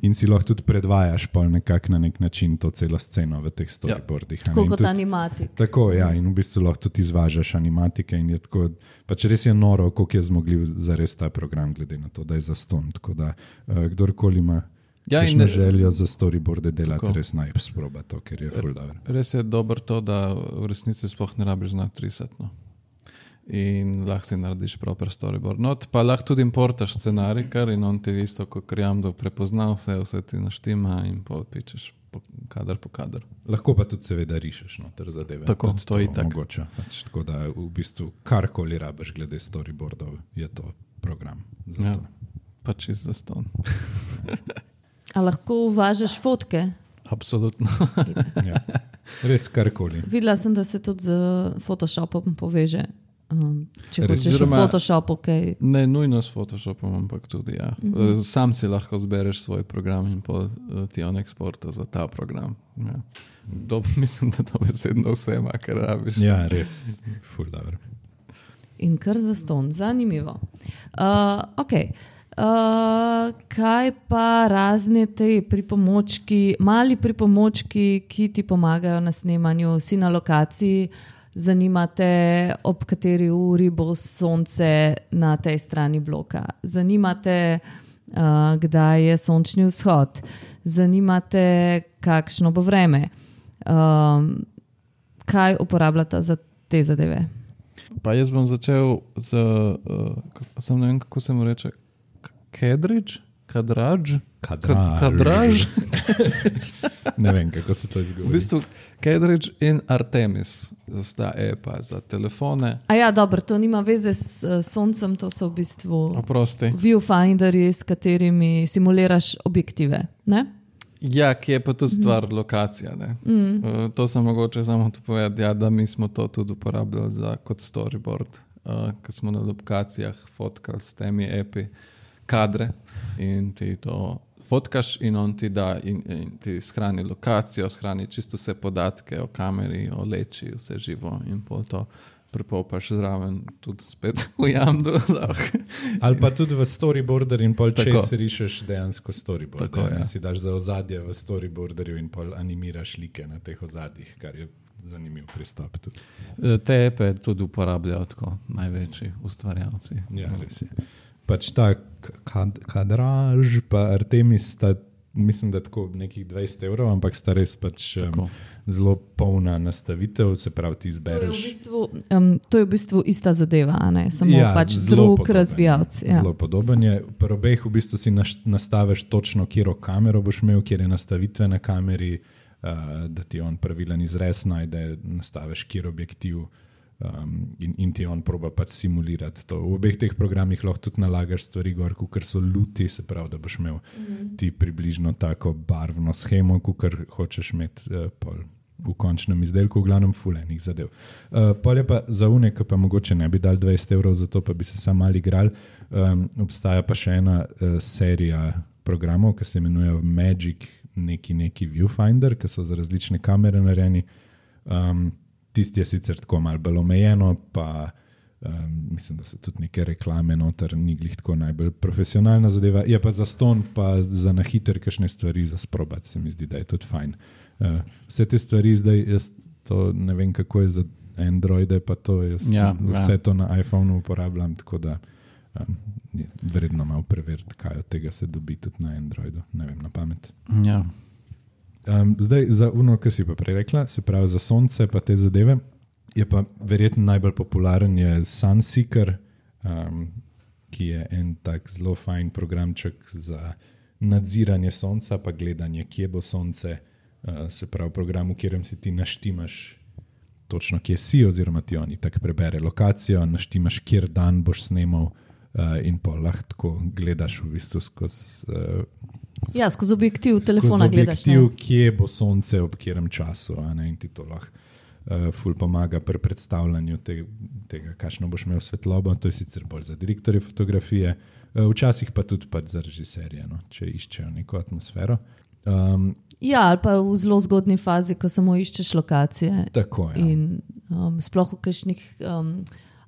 in si lahko tudi predvajaš pol nekak na nek način to celo sceno v teh storyboardih. Ja. Tako kot animatik. Tako, ja, in v bistvu lahko tudi izvažaš animatike in je tako, pač res je noro, koliko je zmogljiv za res ta program, glede na to, da je zastonj. Tako da, uh, kdorkoli ima ja, in željo za storyboarde delati, tako. Res naj sproba to, ker je ful dobro. Res je dobro to, da v resnici sploh ne rabiš znati risati, no. In lahko si narediš proper storyboard. No, pa lahko tudi importaš scenarij, kar in on ti isto, kot Jamdo prepoznal vse, vse ti naštima in pičeš po kadar po kadar. Lahko pa tudi seveda rišeš noter zadeve. Tako, tudi to je tako. Mogoče. Pač, tako da v bistvu karkoli rabiš glede storyboardov, je to program. Ja, pa čist zaston. A lahko uvažaš fotke? Absolutno. Ja. Res karkoli. Videla sem, da se tudi z Photoshopom poveže. Um, če Res, hočeš v Photoshopu, kaj... Okay. Ne nujno s Photoshopom, ampak tudi ja. Mm-hmm. Sam si lahko zbereš svoj program in pol ti on eksporta za ta program. Ja. To, mislim, da to besedno vse ima, kar rabiš. Ja, res. Ful dobro. In kar zaston. Zanimivo. Uh, ok. Uh, kaj pa razne te pripomočki, mali pripomočki, ki ti pomagajo na snemanju, si na lokaciji, zanimate, ob kateri uri bo sonce na tej strani bloka. Zanimate, uh, kdaj je sončni vzhod. Zanimate, kakšno bo vreme. Um, kaj uporabljate za te zadeve? Pa jaz bom začel z, uh, sem ne vem, kako se mu reče, Kadrič? Kadraž? Kadraž. Kadraž? Ne vem, kako se to izgovori. V bistvu Kadrič in Artemis sta epa za telefone. A ja, dobro, to nima veze s uh, soncem, to so v bistvu Oprosti. viewfinderji, s katerimi simuliraš objektive, ne? Ja, ki je pa tudi stvar mm. lokacija, ne? Mm. Uh, to sem mogoče samo to povedati, ja, da mi smo to tudi uporabljali za, kot storyboard, uh, ko smo na lokacijah fotkali s temi epi kadre in ti to fotkaš in on ti da in, in ti shrani lokacijo, shrani čisto vse podatke o kameri, o leči, vse živo in pol to prepopaš zraven tudi spet v Jamdu. Ali pa tudi v storyboarder in pol čez rišeš dejansko storyboard. Tako, ja. Si daš za ozadje v storyboarderju in pol animiraš like na teh ozadjih, kar je zanimiv pristop tudi. Te epe tudi uporabljajo tako največji ustvarjalci. Ja, res je. Pač ta kad, Kadraž pa Artemis sta, mislim, da tako nekih dvajset evrov, ampak sta res pač um, zelo polna nastavitev, se pravi ti izbereš. To je v bistvu, um, to je v bistvu ista zadeva, a ne? Samo ja, pač drug razvijalc. Ja. Zelo podoben je. Pri obeh v bistvu si nastaviš točno, kjero kamero boš imel, kjer je nastavitve na kameri, uh, da ti on pravilen izrez najde, nastaviš kjer objektiv. Um, in, in ti on proba pač simulirati to. V obeh teh programih lahko tudi nalagaš stvari gor, kukor so luti, se pravi, da boš imel mm-hmm. ti približno tako barvno schemo, kukor hočeš imeti uh, pol v končnem izdelku, v glavnem fulenih zadev. Uh, pol je pa za une, ki pa mogoče ne bi dal dvajset evrov za to, pa bi se sam mal igral. Um, obstaja pa še ena uh, serija programov, ki se imenujejo Magic neki neki Viewfinder, ki so za različne kamere narejeni. Um, Tisti je sicer tako malo bolj omejeno, pa um, mislim, da so tudi neke reklame noter, ni glih tako najbolj profesionalna zadeva. Je pa za ston, pa za na hiter kakšne stvari za sprobati, se mi zdi, da je tudi fajn. Uh, vse te stvari zdaj, jaz to ne vem, kako je za Androide, pa to jaz ja, vse ja. to na iPhoneu uporabljam, tako da um, je vredno malo preveriti, kaj od tega se dobi tudi na Androidu, ne vem, na pamet. Ja. Um, zdaj, za ono, kar si pa prej rekla, se pravi za sonce pa te zadeve, je pa verjetno najbolj popularen je Sunseeker, um, ki je en tak zelo fajn programček za nadziranje sonca pa gledanje, kje bo sonce, uh, se pravi program, v katerem si ti naštimaš točno, kje si, oziroma ti oni tako prebere lokacijo, naštimaš, kjer dan boš snemal uh, in pa lahko gledaš v bistvu skozi uh, Ja, skozi objektiv telefona gledaš. Skozi objektiv, kje bo sonce ob katerem času, a ne, in ti to lahko uh, ful pomaga pri predstavljanju te, tega, kakšno boš imel svetlobo. To je sicer bolj za direktorje fotografije, uh, včasih pa tudi pa za režiserje, no, če iščejo neko atmosfero. Um, Ja, ali pa v zelo zgodni fazi, ko samo iščeš lokacije. Tako, ja. In um, sploh v kakšnih um,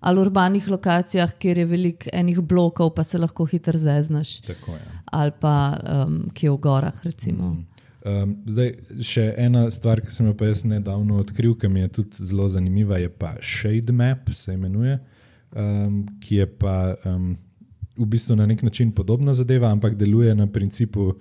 ali urbanih lokacijah, kjer je veliko enih blokov, pa se lahko hitro zeznaš. Tako, ja. Ali pa um, kje v gorah, recimo. Mm. Um, zdaj, še ena stvar, ki sem jo pa jaz nedavno odkril, ki mi je tudi zelo zanimiva, je pa Shade Map, se imenuje, um, ki je pa um, v bistvu na nek način podobna zadeva, ampak deluje na principu uh,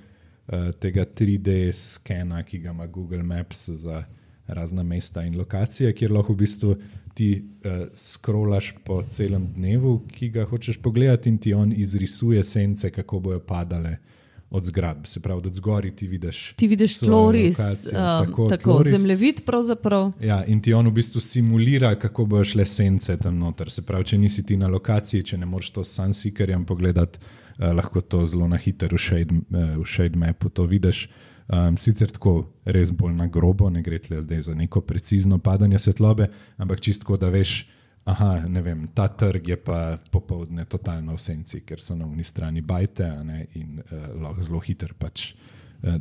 tega tri D skena, ki ga ima Google Maps za razna mesta in lokacije, kjer lahko v bistvu ti uh, scrollaš po celem dnevu, ki ga hočeš pogledati, in ti on izrisuje sence, kako bojo padale od zgradb. Se pravi, od zgori ti vidiš Ti vidiš tloris, lokacijo, um, tako, tako tloris. zemljevid pravzaprav. Ja, in ti on v bistvu simulira, kako bojo šle sence tam noter. Se pravi, če nisi ti na lokaciji, če ne moreš to s Sunseekerjem pogledati, uh, lahko to zelo na hitro v Shade, uh, v Shade Mapu to vidiš. Um, sicer tako res bolj na grobo, ne gre tle zdaj za neko precizno padanje svetlobe, ampak čistko, da veš, aha, ne vem, ta trg je pa popoldne totalno v senci, ker so na uni strani bajte, a ne, in uh, lahko zelo hiter pač uh,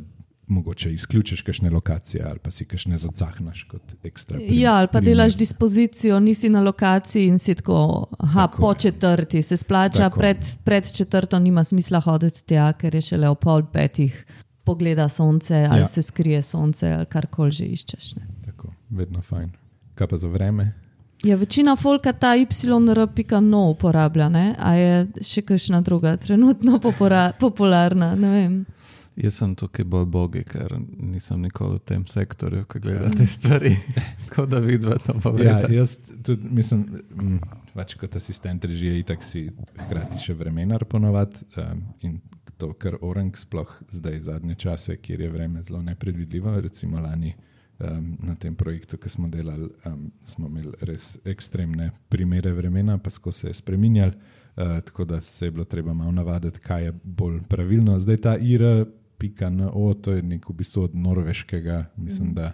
mogoče izključiš kakšne lokacije ali pa si kakšne zacahnaš kot ekstra primer. Ja, ali pa delaš dispozicijo, nisi na lokaciji in si tako, aha, Tako po je. četrti se splača, pred, pred četrto nima smisla hoditi tja, ker je šele o pol petih pogleda sonce ali Ja. se skrije sonce ali karkoli že iščeš. Ne. Tako, vedno fajn. Kaj pa za vreme? Ja, večina folka ta Y R pika no uporablja, ne? A je še kakšna druga trenutno popora, popularna, ne vem. Jaz sem tukaj bolj bogi, ker nisem nikoli v tem sektorju, ko gledam te stvari. Tako da vidva to Ja, povedati. jaz tudi mislim, m, pač kot asistent režije itak si hkrati še vremenar ponovadi um, in to, kar Orang sploh zdaj zadnje čase, kjer je vreme zelo nepredvidljivo, recimo lani um, na tem projektu, ki smo delali, um, smo imeli res ekstremne primere vremena, pa skozi se je spreminjali, uh, tako da se je bilo treba malo navaditi, kaj je bolj pravilno. Zdaj ta I R pika no, to je nek v bistvu od norveškega, mislim, da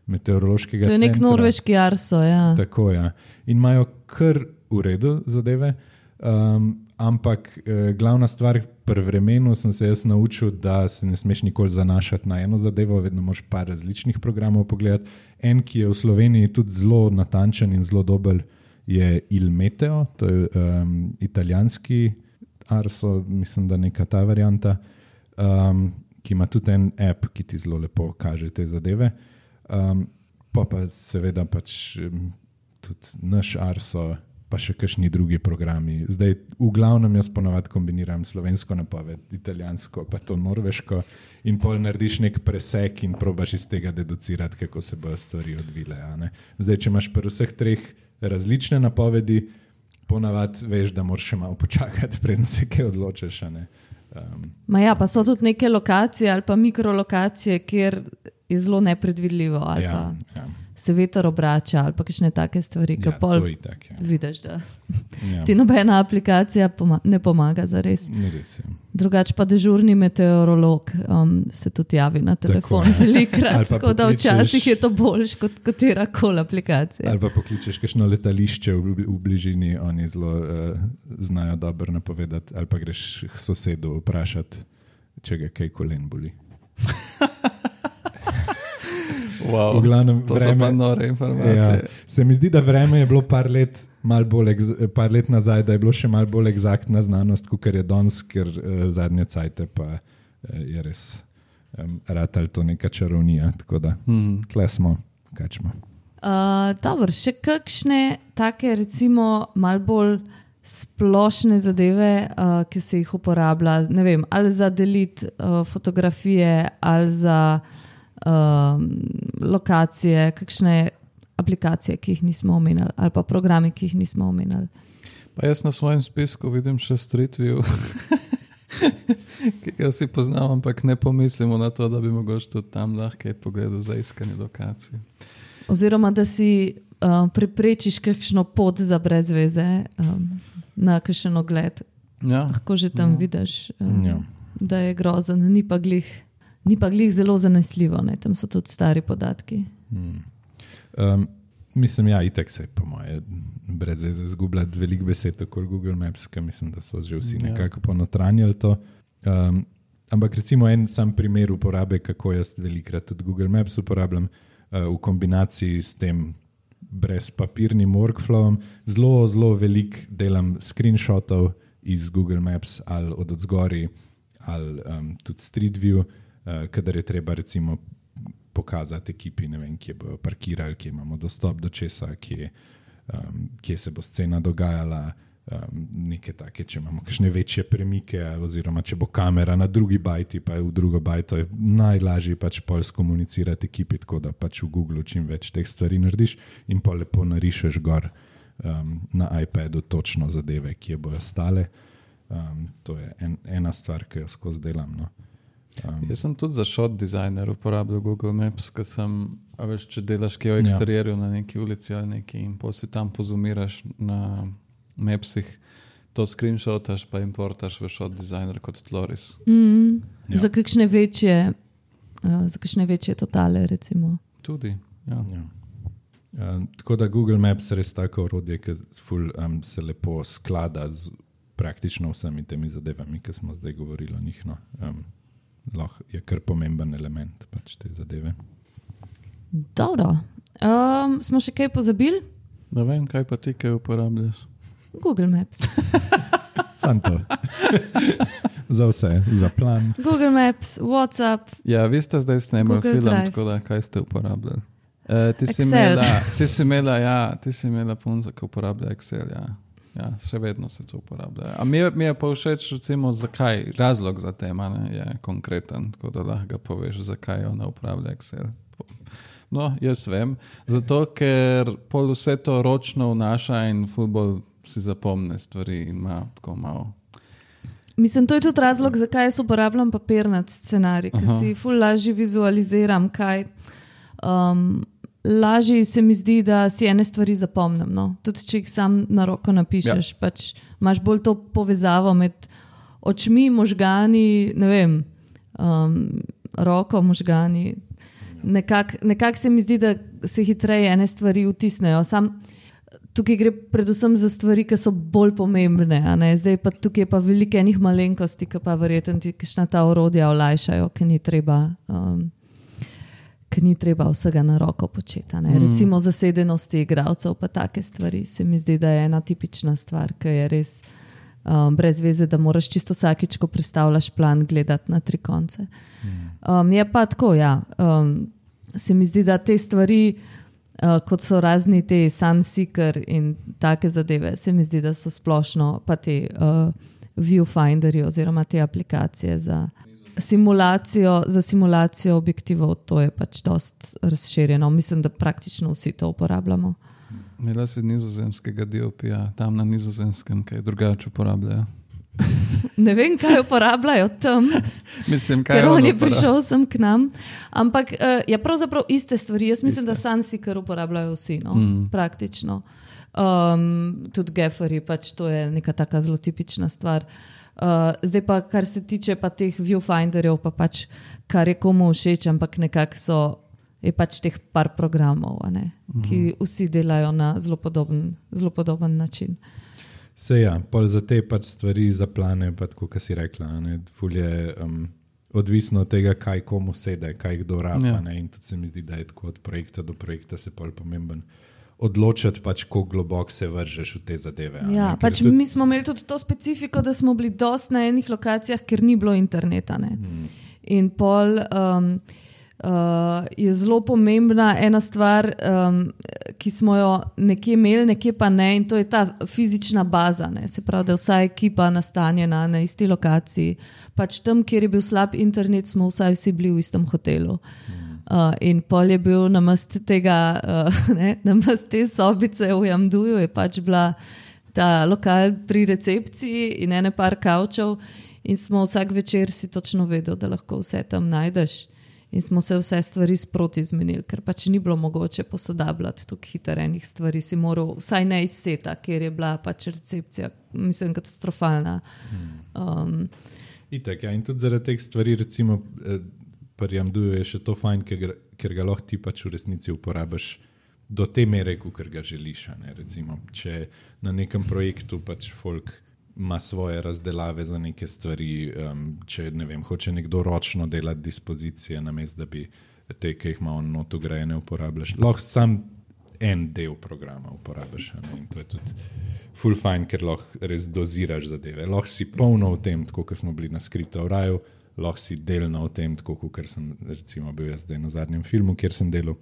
meteorološkega To je nek centra. norveški arso, ja. Tako, ja. In imajo kar v redu zadeve, um, ampak eh, glavna stvar pri vremenu sem se jaz naučil, da se ne smeš nikoli zanašati na eno zadevo, vedno moraš par različnih programov pogledati. En, ki je v Sloveniji tudi zelo natančen in zelo dober, je Il Meteo, to je um, italijanski arso, mislim, da neka ta varianta, um, ki ima tudi en app, ki ti zelo lepo kaže te zadeve. Um, pa pa seveda pač um, tudi naš arso, pa še kakšni drugi programi. Zdaj v glavnem jaz ponavadi kombiniram slovensko napoved, italijansko, pa to norveško, in pol narediš nek presek in probaš iz tega deducirati, kako se bojo stvari odvile. A ne? Zdaj, če imaš pri vseh treh različne napovedi, ponavadi veš, da moraš še malo počakati, preden se kaj odločiš. A ne? Um, Ma ja, pa so tudi neke lokacije ali pa mikrolokacije, kjer je zelo nepredvidljivo ali ja, pa ja. se veter obrača ali pa kakšne take stvari, ki Ja, pol to itak, ja. vidiš, da Ja. ti nobena aplikacija poma ne pomaga za res. Ni res, ja. Drugač pa dežurni meteorolog um, se tudi javi na telefon Tako, ja. velikrat, Ali pa tako da pokličeš- včasih je to boljš kot katera koli aplikacija. Ali pa pokličeš kakšno letališče v, v bližini, oni zelo uh, znajo dobro napovedati, ali pa greš k sosedu vprašati, če ga kaj kolen boli. Wow, V glavnem to so vreme- pa nore informacije. Ja, se mi zdi, da vreme je bilo par let, mal bolj ex, par let nazaj, da je bilo še malo bolj eksaktna znanost, kot je danes, ker uh, zadnje cajte pa uh, je res um, ratal to neka čarovnija. Tako da Hmm. tle smo, kačmo. Uh, dobro, še kakšne take recimo mal bolj splošne zadeve, uh, ki se jih uporablja, ne vem, ali za deliti uh, fotografije, ali za uh, lokacije, kakšne aplikacije, ki jih nismo omenjali, ali pa programi, ki jih nismo omenjali. Pa jaz na svojem spisku vidim še Street View, ki ga vsi poznam, ampak ne pomislimo na to, da bi mogoče tudi tam lahko pogledal za iskanje lokacij. Oziroma, da si uh, preprečiš kakšno pot za brez veze um, na kakšen ogled. Ja. Lahko že tam Ja. vidiš, um, Ja. da je grozen, ni pa glih, ni pa glih zelo zanesljivo, ne? Tam so tudi stari podatki. Hmm. Um, mislim, ja, itek se po moje brez veze zgubljati veliko besed okoli Google Maps, ker mislim, da so že vsi Ja. nekako ponotranjali to. Um, ampak recimo en sam primer uporabe, kako jaz velikrat tudi Google Maps uporabljam uh, v kombinaciji s tem brezpapirnim workflowom. Zelo, zelo veliko delam screenshotov iz Google Maps ali od odzgori ali um, tudi Street View, uh, kadar je treba recimo pokazati ekipi, ne vem, kje bojo parkirali, kje imamo dostop do česa, kje, um, kje se bo scena dogajala, um, neke take, če imamo kakšne večje premike, oziroma če bo kamera na drugi bajti, pa je v drugo bajto, je najlažje pač pol skomunicirati ekipi, tako da pač v Googlu čim več teh stvari narediš in pa lepo narišeš gor um, na iPadu točno zadeve, kje bojo stale. Um, to je en, ena stvar, ki jo skozi delam. No. Um, Jaz sem tudi za shot designer uporabljal Google Maps, ker sem, a veš, če delaš kaj v eksterierju ja. na neki ulici ali neki in potem si tam pozumiraš na Mapsih, to screenshotaš pa importaš v shot designer kot Tloris. Mm, Ja. Za kakšne večje, uh, za kakšne večje totale, recimo. Tudi, ja. Ja. Um, tako da Google Maps je res tako orodje, ki ful, um, se lepo sklada z praktično vsemi temi zadevami, ki smo zdaj govorili o njih. No. Um, lahko je kar pomemben element pač te zadeve. Dobro. Um, smo še kaj pozabili? Da vem, kaj pa ti kaj uporabljaš. Google Maps. Sam to. Za vse, za plan. Google Maps, WhatsApp. Ja, vi ste zdaj snemali Google film, Drive. tako da kaj ste uporabljali? E, ti, si Excel. imela, ti si imela, ja, ti si imela punca, ki uporablja Excel, ja. Ja, še vedno se to uporablja. A mi je, mi je pa všeč, recimo, zakaj, razlog za tema ne, je konkreten, tako da lahko poveš, zakaj ona uporablja Excel. No, jaz vem, zato ker pol vse to ročno vnaša in futbol si zapomne stvari in ima tako malo. Mislim, to je tudi razlog, zakaj jaz uporabljam papirnat scenarij, ker Aha. si ful lažje vizualiziram, kaj. Um, lažje se mi zdi, da si ene stvari zapomnim. No? Tudi če jih sam na roko napišeš, ja. pač imaš bolj to povezavo med očmi, možgani, ne vem, um, roko, možgani. Nekako nekak se mi zdi, da se hitreje ene stvari vtisnejo. Sam tukaj gre predvsem za stvari, ki so bolj pomembne. A ne? Zdaj pa tukaj je pa veliko enih malenkosti, ki pa verjetno ti kakšna ta orodja olajšajo, ki ni treba, um, ki ni treba vsega na roko početi. Mm. Recimo zasedenosti igralcev pa take stvari. Se mi zdi, da je ena tipična stvar, ki je res um, brez veze, da moraš čisto vsakič, ko pristavljaš plan, gledati na tri konce. Um, je pa tako, ja. Um, se mi zdi, da te stvari, uh, kot so razni te Sunseeker in take zadeve, se mi zdi, da so splošno pa te uh, viewfinderji oziroma te aplikacije za simulacijo, za simulacijo objektivov, to je pač dost razširjeno. Mislim, da praktično vsi to uporabljamo. Imela si nizozemskega D O P-ja, tam na nizozemskem, kaj drugače uporabljajo. Ne vem, kaj uporabljajo tam, Mislim, kaj ker on on je uporablja? prišel sem k nam. Ampak uh, je pravzaprav iste stvari. Jaz mislim, Iste. da Sunseeker uporabljajo vsi, no? Mm. Praktično. Um, tudi Gafferji, pač to je neka taka zelo tipična stvar. Uh, zdaj pa, kar se tiče pa teh viewfinderjev, pa pač kar je komu všeč, ampak nekako so, je pač teh par programov, a ne, Mhm. ki vsi delajo na zelo podoben, zelo podoben način. Se ja, pol za te pač stvari, za plane, pa tako, kot si rekla, ne, ful je um, odvisno od tega, kaj komu sede, kaj kdo rabi. Ja. Ne, in tudi se mi zdi, da je tako od projekta do projekta se pol pomemben odločati, pač, kako globoko se vržeš v te zadeve. a Ja, ne, ker pač tudi, mi smo imeli tudi to specifiko, da smo bili dost na enih lokacijah, ker ni bilo interneta. Ne? Hmm. In pol um, uh, je zelo pomembna ena stvar, um, ki smo jo nekje imeli, nekje pa ne, in to je ta fizična baza. Ne? Se pravi, da je vsa ekipa nastanjena na isti lokaciji. Pač tam, kjer je bil slab internet, smo vsaj vsi bili v istem hotelu. Uh, in pol je bil namest tega, uh, ne, namest te sobice v Jamduju, je pač bila ta lokal pri recepciji in ene par kavčev, in smo vsak večer si točno vedeli, da lahko vse tam najdeš. In smo se vse stvari sproti zmenili, ker pač ni bilo mogoče posodabljati tukaj hiterenih stvari. Si moral vsaj ne iz seta, ker je bila pač recepcija, mislim, katastrofalna. Um, Itak, ja, in tudi zaradi teh stvari, recimo, pri Jamduju je še to fajn, ker, ker ga lahko ti pač v resnici uporabiš do te mere, ker ga želiš. Ne? Recimo, če na nekem projektu pač folk ima svoje razdelave za neke stvari, um, če ne vem, hoče nekdo ročno delati dispozicije, namesto da bi te, ki jih ima on not ugrajene, uporabljaš. Lahko sam en del programa uporabljaš. Ne? In to je tudi ful fajn, ker lahko res doziraš zadeve. Lahko si polno v tem, tako kot smo bili na Skriptu v raju, lahko si delno v tem, tako kot sem recimo bil jaz zdaj na zadnjem filmu, kjer sem delal,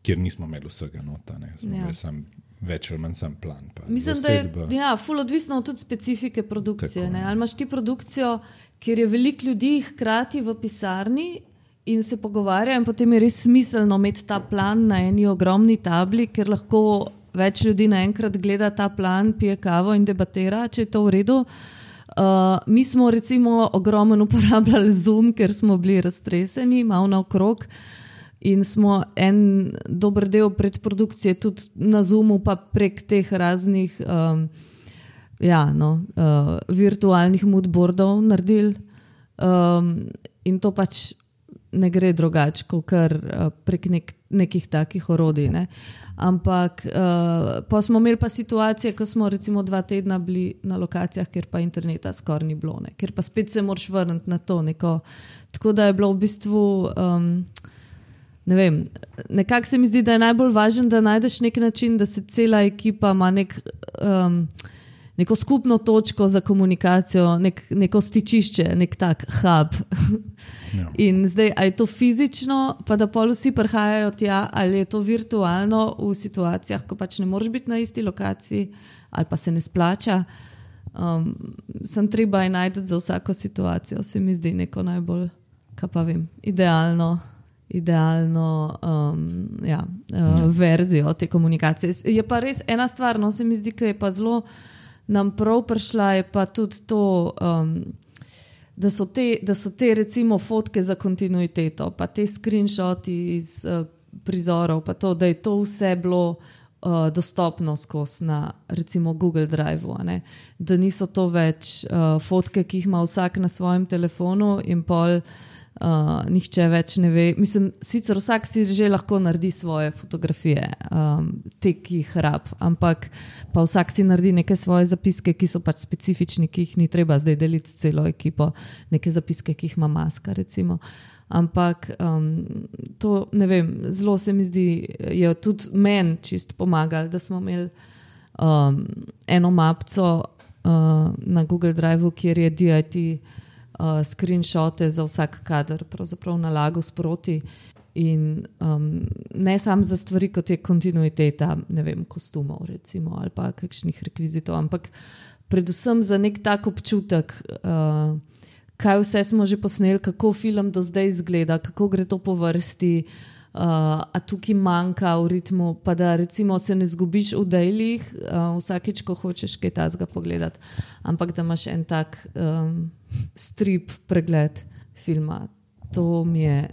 kjer nismo imeli vsega nota. Ne? Smo ja. Sam več ali manj sam plan. Pa mislim, zasedba. Da je ja, ful odvisno od tudi specifike produkcije. Ne? Ali imaš ti produkcijo, kjer je veliko ljudi hkrati v pisarni in se pogovarja, in potem je res smiselno imeti ta plan na eni ogromni tabli, ker lahko več ljudi naenkrat gleda ta plan, pije kavo in debatira, če je to v redu. Uh, mi smo recimo ogromno uporabljali Zoom, ker smo bili raztreseni, malo naokrog. In smo en dober del predprodukcije tudi na Zoomu, pa prek teh raznih um, ja, no, uh, virtualnih moodboardov naredili. Um, in to pač ne gre drugače, kot kar uh, prek nek, nekih takih orodij. Ne. Ampak uh, pa smo imeli pa situacije, ko smo recimo dva tedna bili na lokacijah, kjer pa interneta skoraj ni bilo, ne. Ker pa spet se moraš vrniti na to. Neko. Tako da je bilo v bistvu... Um, Ne vem, nekako se mi zdi, da je najbolj važno, da najdeš nek način, da se cela ekipa ima nek, um, neko skupno točko za komunikacijo, nek, neko stičišče, nek tak hub. Ja. In zdaj, a je to fizično, pa da pol vsi prihajajo tja, ali je to virtualno v situacijah, ko pač ne moreš biti na isti lokaciji, ali pa se ne splača. Um, sem treba je najti za vsako situacijo, se mi zdi neko najbolj, kaj pa vem, idealno. idealno um, ja, uh, ja. verzijo te komunikacije. Je pa res ena stvar, no, se mi zdi, ki je pa zelo nam prav prišla, je pa tudi to, um, da, so te, da so te recimo fotke za kontinuiteto, pa te screenshoti iz uh, prizorov, pa to, da je to vse bilo uh, dostopno skozi na recimo Google Drive-u, a ne? Da niso to več uh, fotke, ki jih ima vsak na svojem telefonu in pol Uh, nihče več ne ve. Mislim, sicer vsak si že lahko naredi svoje fotografije, um, te, ki jih rab, ampak pa vsak si naredi neke svoje zapiske, ki so pač specifični, ki jih ni treba zdaj deliti s celo ekipo, neke zapiske, ki jih ima Maska, recimo. Ampak um, to, ne vem, zelo se mi zdi, je tudi meni čist pomagali, da smo imeli um, eno mapco uh, na Google Drive-u, kjer je D I T Uh, screenshote za vsak kader pravzaprav nalagal sproti in um, ne samo za stvari, kot je kontinuiteta, ne vem, kostumov recimo ali pa kakšnih rekvizitov, ampak predvsem za nek tak občutek, uh, kaj vse smo že posneli, kako film do zdaj izgleda, kako gre to po vrsti, uh, a tukaj manjka v ritmu, pa da recimo se ne zgubiš v dejlih, uh, vsakeč, ko hočeš kaj tazga pogledati, ampak da imaš en tak um, strip pregled filma. To mi je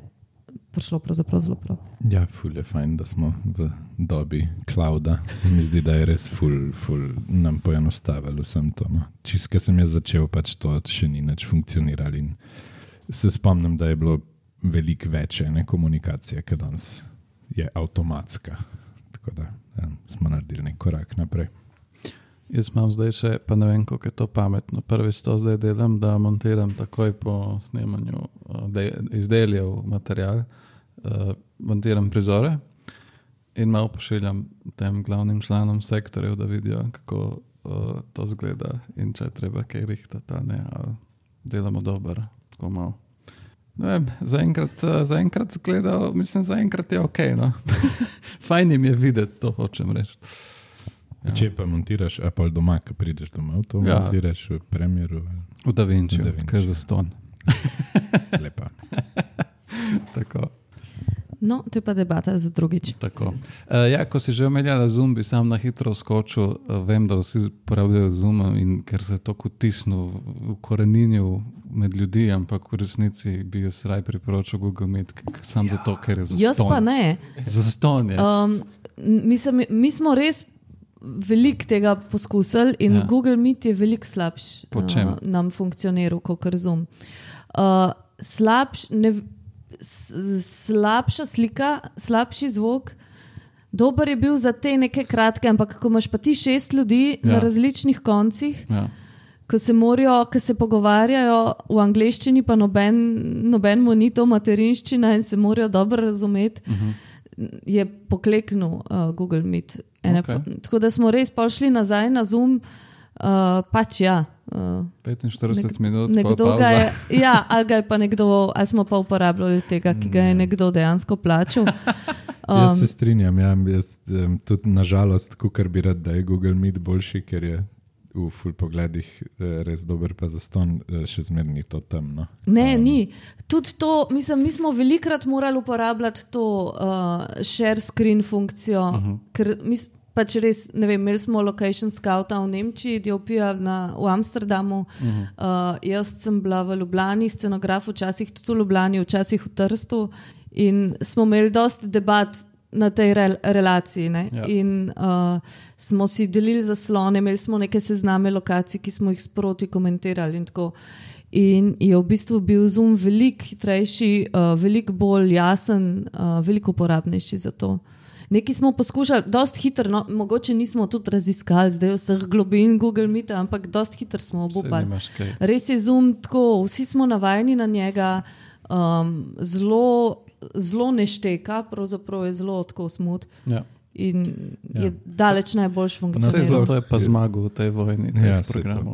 prišlo pravzaprav zelo prav. Ja, ful je fajn, da smo v dobi clouda. Se mi zdi, da je res ful, ful nam poenostavilo vsem to. No. Čist, ko sem jaz začel, pač to še ni nič funkcionirali. In se spomnim, da je bilo veliko več ene komunikacije, ki danes je avtomatska. Tako da ja, smo naredili nek korak naprej. Jaz imam zdaj še, pa ne vem, koliko je to pametno. Prvič to zdaj delam, da montiram takoj po snemanju izdeljev material, uh, montiram prizore in malo pošiljam tem glavnim članom sektorjev, da vidijo, kako uh, to zgleda in če treba kaj rihtati, ne, ali delamo dobro, tako malo. Ne vem, zaenkrat, zaenkrat gledal, mislim, zaenkrat je ok, no. Fajn jim je videti, to hočem reči. Ja. Če pa montiraš, a pa doma, ko prideš domov, to ja. montiraš v Premieru? V DaVinci, kar za ston. Lepa. Tako. No, to je pa debata za drugič. Tako. Uh, ja, ko si že omenjala Zoom, bi sam na hitro skočil. Uh, vem, da vsi uporabljajo Zoom in ker se je to kutisnil, ukoreninil med ljudi, ampak v resnici bi jaz raj priporočil Google Meet, sam ja. zato, ker je za ston. Jaz pa ne. Za ston je. Um, mislim, mi smo res veliko tega poskusili in ja. Google Meet je veliko slabš uh, nam funkcioniral kot Zoom. Uh, slabš, ne slabša slika, slabši zvok, dober je bil za te neke kratke, ampak ko imaš pa ti šest ljudi ja. na različnih koncih, ja. ko se morajo, ko se pogovarjajo v angleščini, pa noben, noben mu ni to materinščina in se morajo dobro razumeti, uh-huh. je pokleknil uh, Google Meet. Okay. Pa, tako da smo res prišli nazaj na Zoom, uh, pač ja. Uh, petinštirideset nek, minut, nekdo ga je, ja, ali ga je pa nekdo, ali smo pa uporabljali tega, ki ga je nekdo dejansko plačal. Um, jaz se strinjam, ja, jaz um, tudi nažalost, kukar bi rad, da je Google Meet boljši, ker je v full pogledih res dober, pa zaston še zmerni to temno. Ne, um, ni. Tudi to, mislim, mi smo velikrat morali uporabljati to uh, share screen funkcijo, uh-huh. ker mislim, pač res, ne vem, imeli smo location scouta v Nemčiji, Diopija na, v Amsterdamu, uh-huh. uh, jaz sem bila v Ljubljani, scenograf včasih tudi v Ljubljani, včasih v Trstu in smo imeli dosti debat na tej re, relaciji ne? Ja. In uh, smo si delili zaslone, imeli smo neke sezname lokacij, ki smo jih sproti komentirali in tako. In je v bistvu bil Zoom veliko hitrejši, uh, veliko bolj jasen, uh, veliko uporabnejši za to. Nekaj smo poskušali, dosti hitro, no, mogoče nismo tudi raziskali zdaj vseh globin Google Meeta, ampak dosti hitro smo obupali. Res je Zoom tako, vsi smo navajeni na njega, um, zelo, zelo nešteka, pravzaprav je zelo tako smut. Ja. In je ja. daleč najboljš funkcioniral. Zato je pa zmagal v tej vojni. Ja,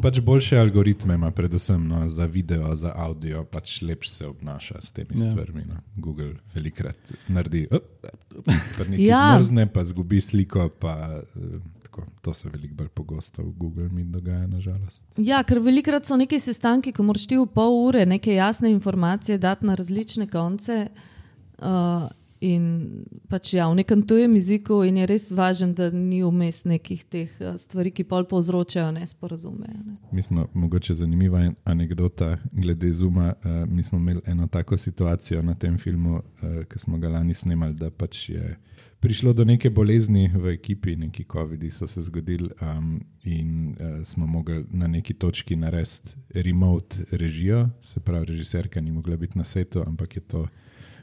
pač boljše algoritme ima predvsem no, za video, za audio, pač lepše se obnaša s temi ja. stvarmi. No. Google velikrat naredi, op, pa nekaj ja. zmrzne, pa zgubi sliko, pa tako, to se veliko bolj pogosto v Google Meet dogaja, nažalost. Ja, ker velikrat so neke sestanki, ko moraš ti v pol ure neke jasne informacije dati na različne konce, uh, in pač ja, v nekem tujem jeziku in je res važen, da ni vmes nekih teh stvari, ki pol povzročajo nesporazume. Ne. Mi smo, mogoče zanimiva anekdota glede Zooma, uh, mi smo imeli eno tako situacijo na tem filmu, uh, ki smo ga lani snemali, da pač je prišlo do neke bolezni v ekipi, neki covidi so se zgodili um, in uh, smo mogli na neki točki narediti remote režijo, se pravi, režiserka ni mogla biti na setu, ampak je to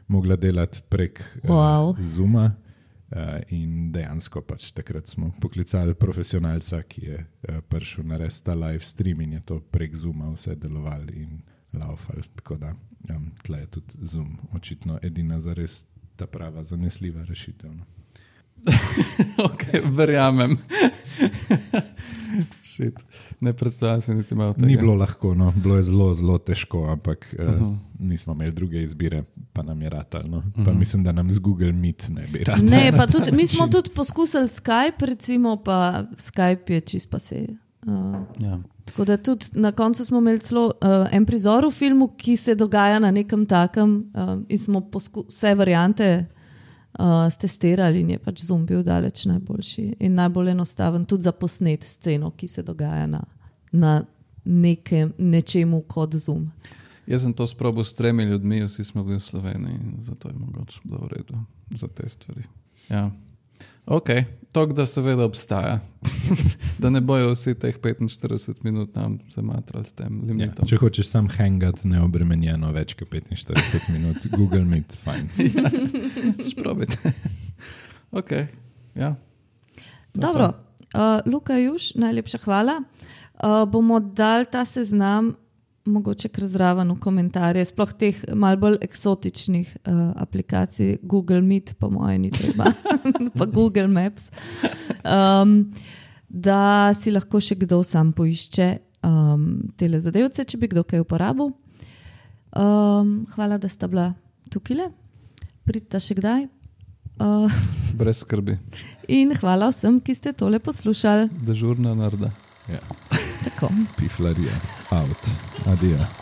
mogla delati prek wow. uh, Zooma uh, in dejansko pač takrat smo poklicali profesionalca, ki je uh, prišel narediti ta live stream in je to prek Zooma vse delovali in laufali. Tako da um, tle je tudi Zoom očitno edina zares ta prava zanesljiva rešitev. No. Ok, verjamem. Shit. Ne predstavljam se niti malo tega. Ni bilo lahko, no. Bilo je zelo, zelo težko, ampak uh-huh. uh, nismo imeli druge izbire, pa nam je ratal. No. Uh-huh. Pa mislim, da nam z Google Meet ne bi ratal. Ne, pa tudi, mi smo tudi poskusili Skype, recimo, pa Skype je čist pa se. Uh, ja. Tako da tudi na koncu smo imeli celo uh, en prizor v filmu, ki se dogaja na nekem takem uh, in smo posku- vse variante uh, stestirali in je pač Zoom bil daleč najboljši in najbolj enostaven tudi za posnet sceno, ki se dogaja na, na nekem, nečemu kot Zoom. Jaz sem to sprobil s tremi ljudmi, vsi smo bili v Sloveniji in zato je mogoče bilo v redu za te stvari. Ja. Ok, tok da seveda obstaja. Da ne bojo vsi teh petinštirideset minut nam zamatrali s tem limitom. Ja, če hočeš sam hangat neobremenjeno več kot petinštirideset minut, Google Meet, fajn. Ja, sprobite. Ok, ja. Dobro, uh, Luka Juš, najlepša hvala. Uh, bomo dali ta seznam mogoče kar zraven v komentarje, sploh teh malo bolj eksotičnih uh, aplikacij, Google Meet, po moje ni treba, pa Google Maps, um, da si lahko še kdo sam poišče um, tele zadevce, če bi kdo kaj uporabil. Um, hvala, da sta bila tukaj. Pridite še kdaj. Uh, Brez skrbi. in hvala vsem, ki ste tole poslušali. Dežurna narda. Ja. Tako. Piflarija. Out. Adijo.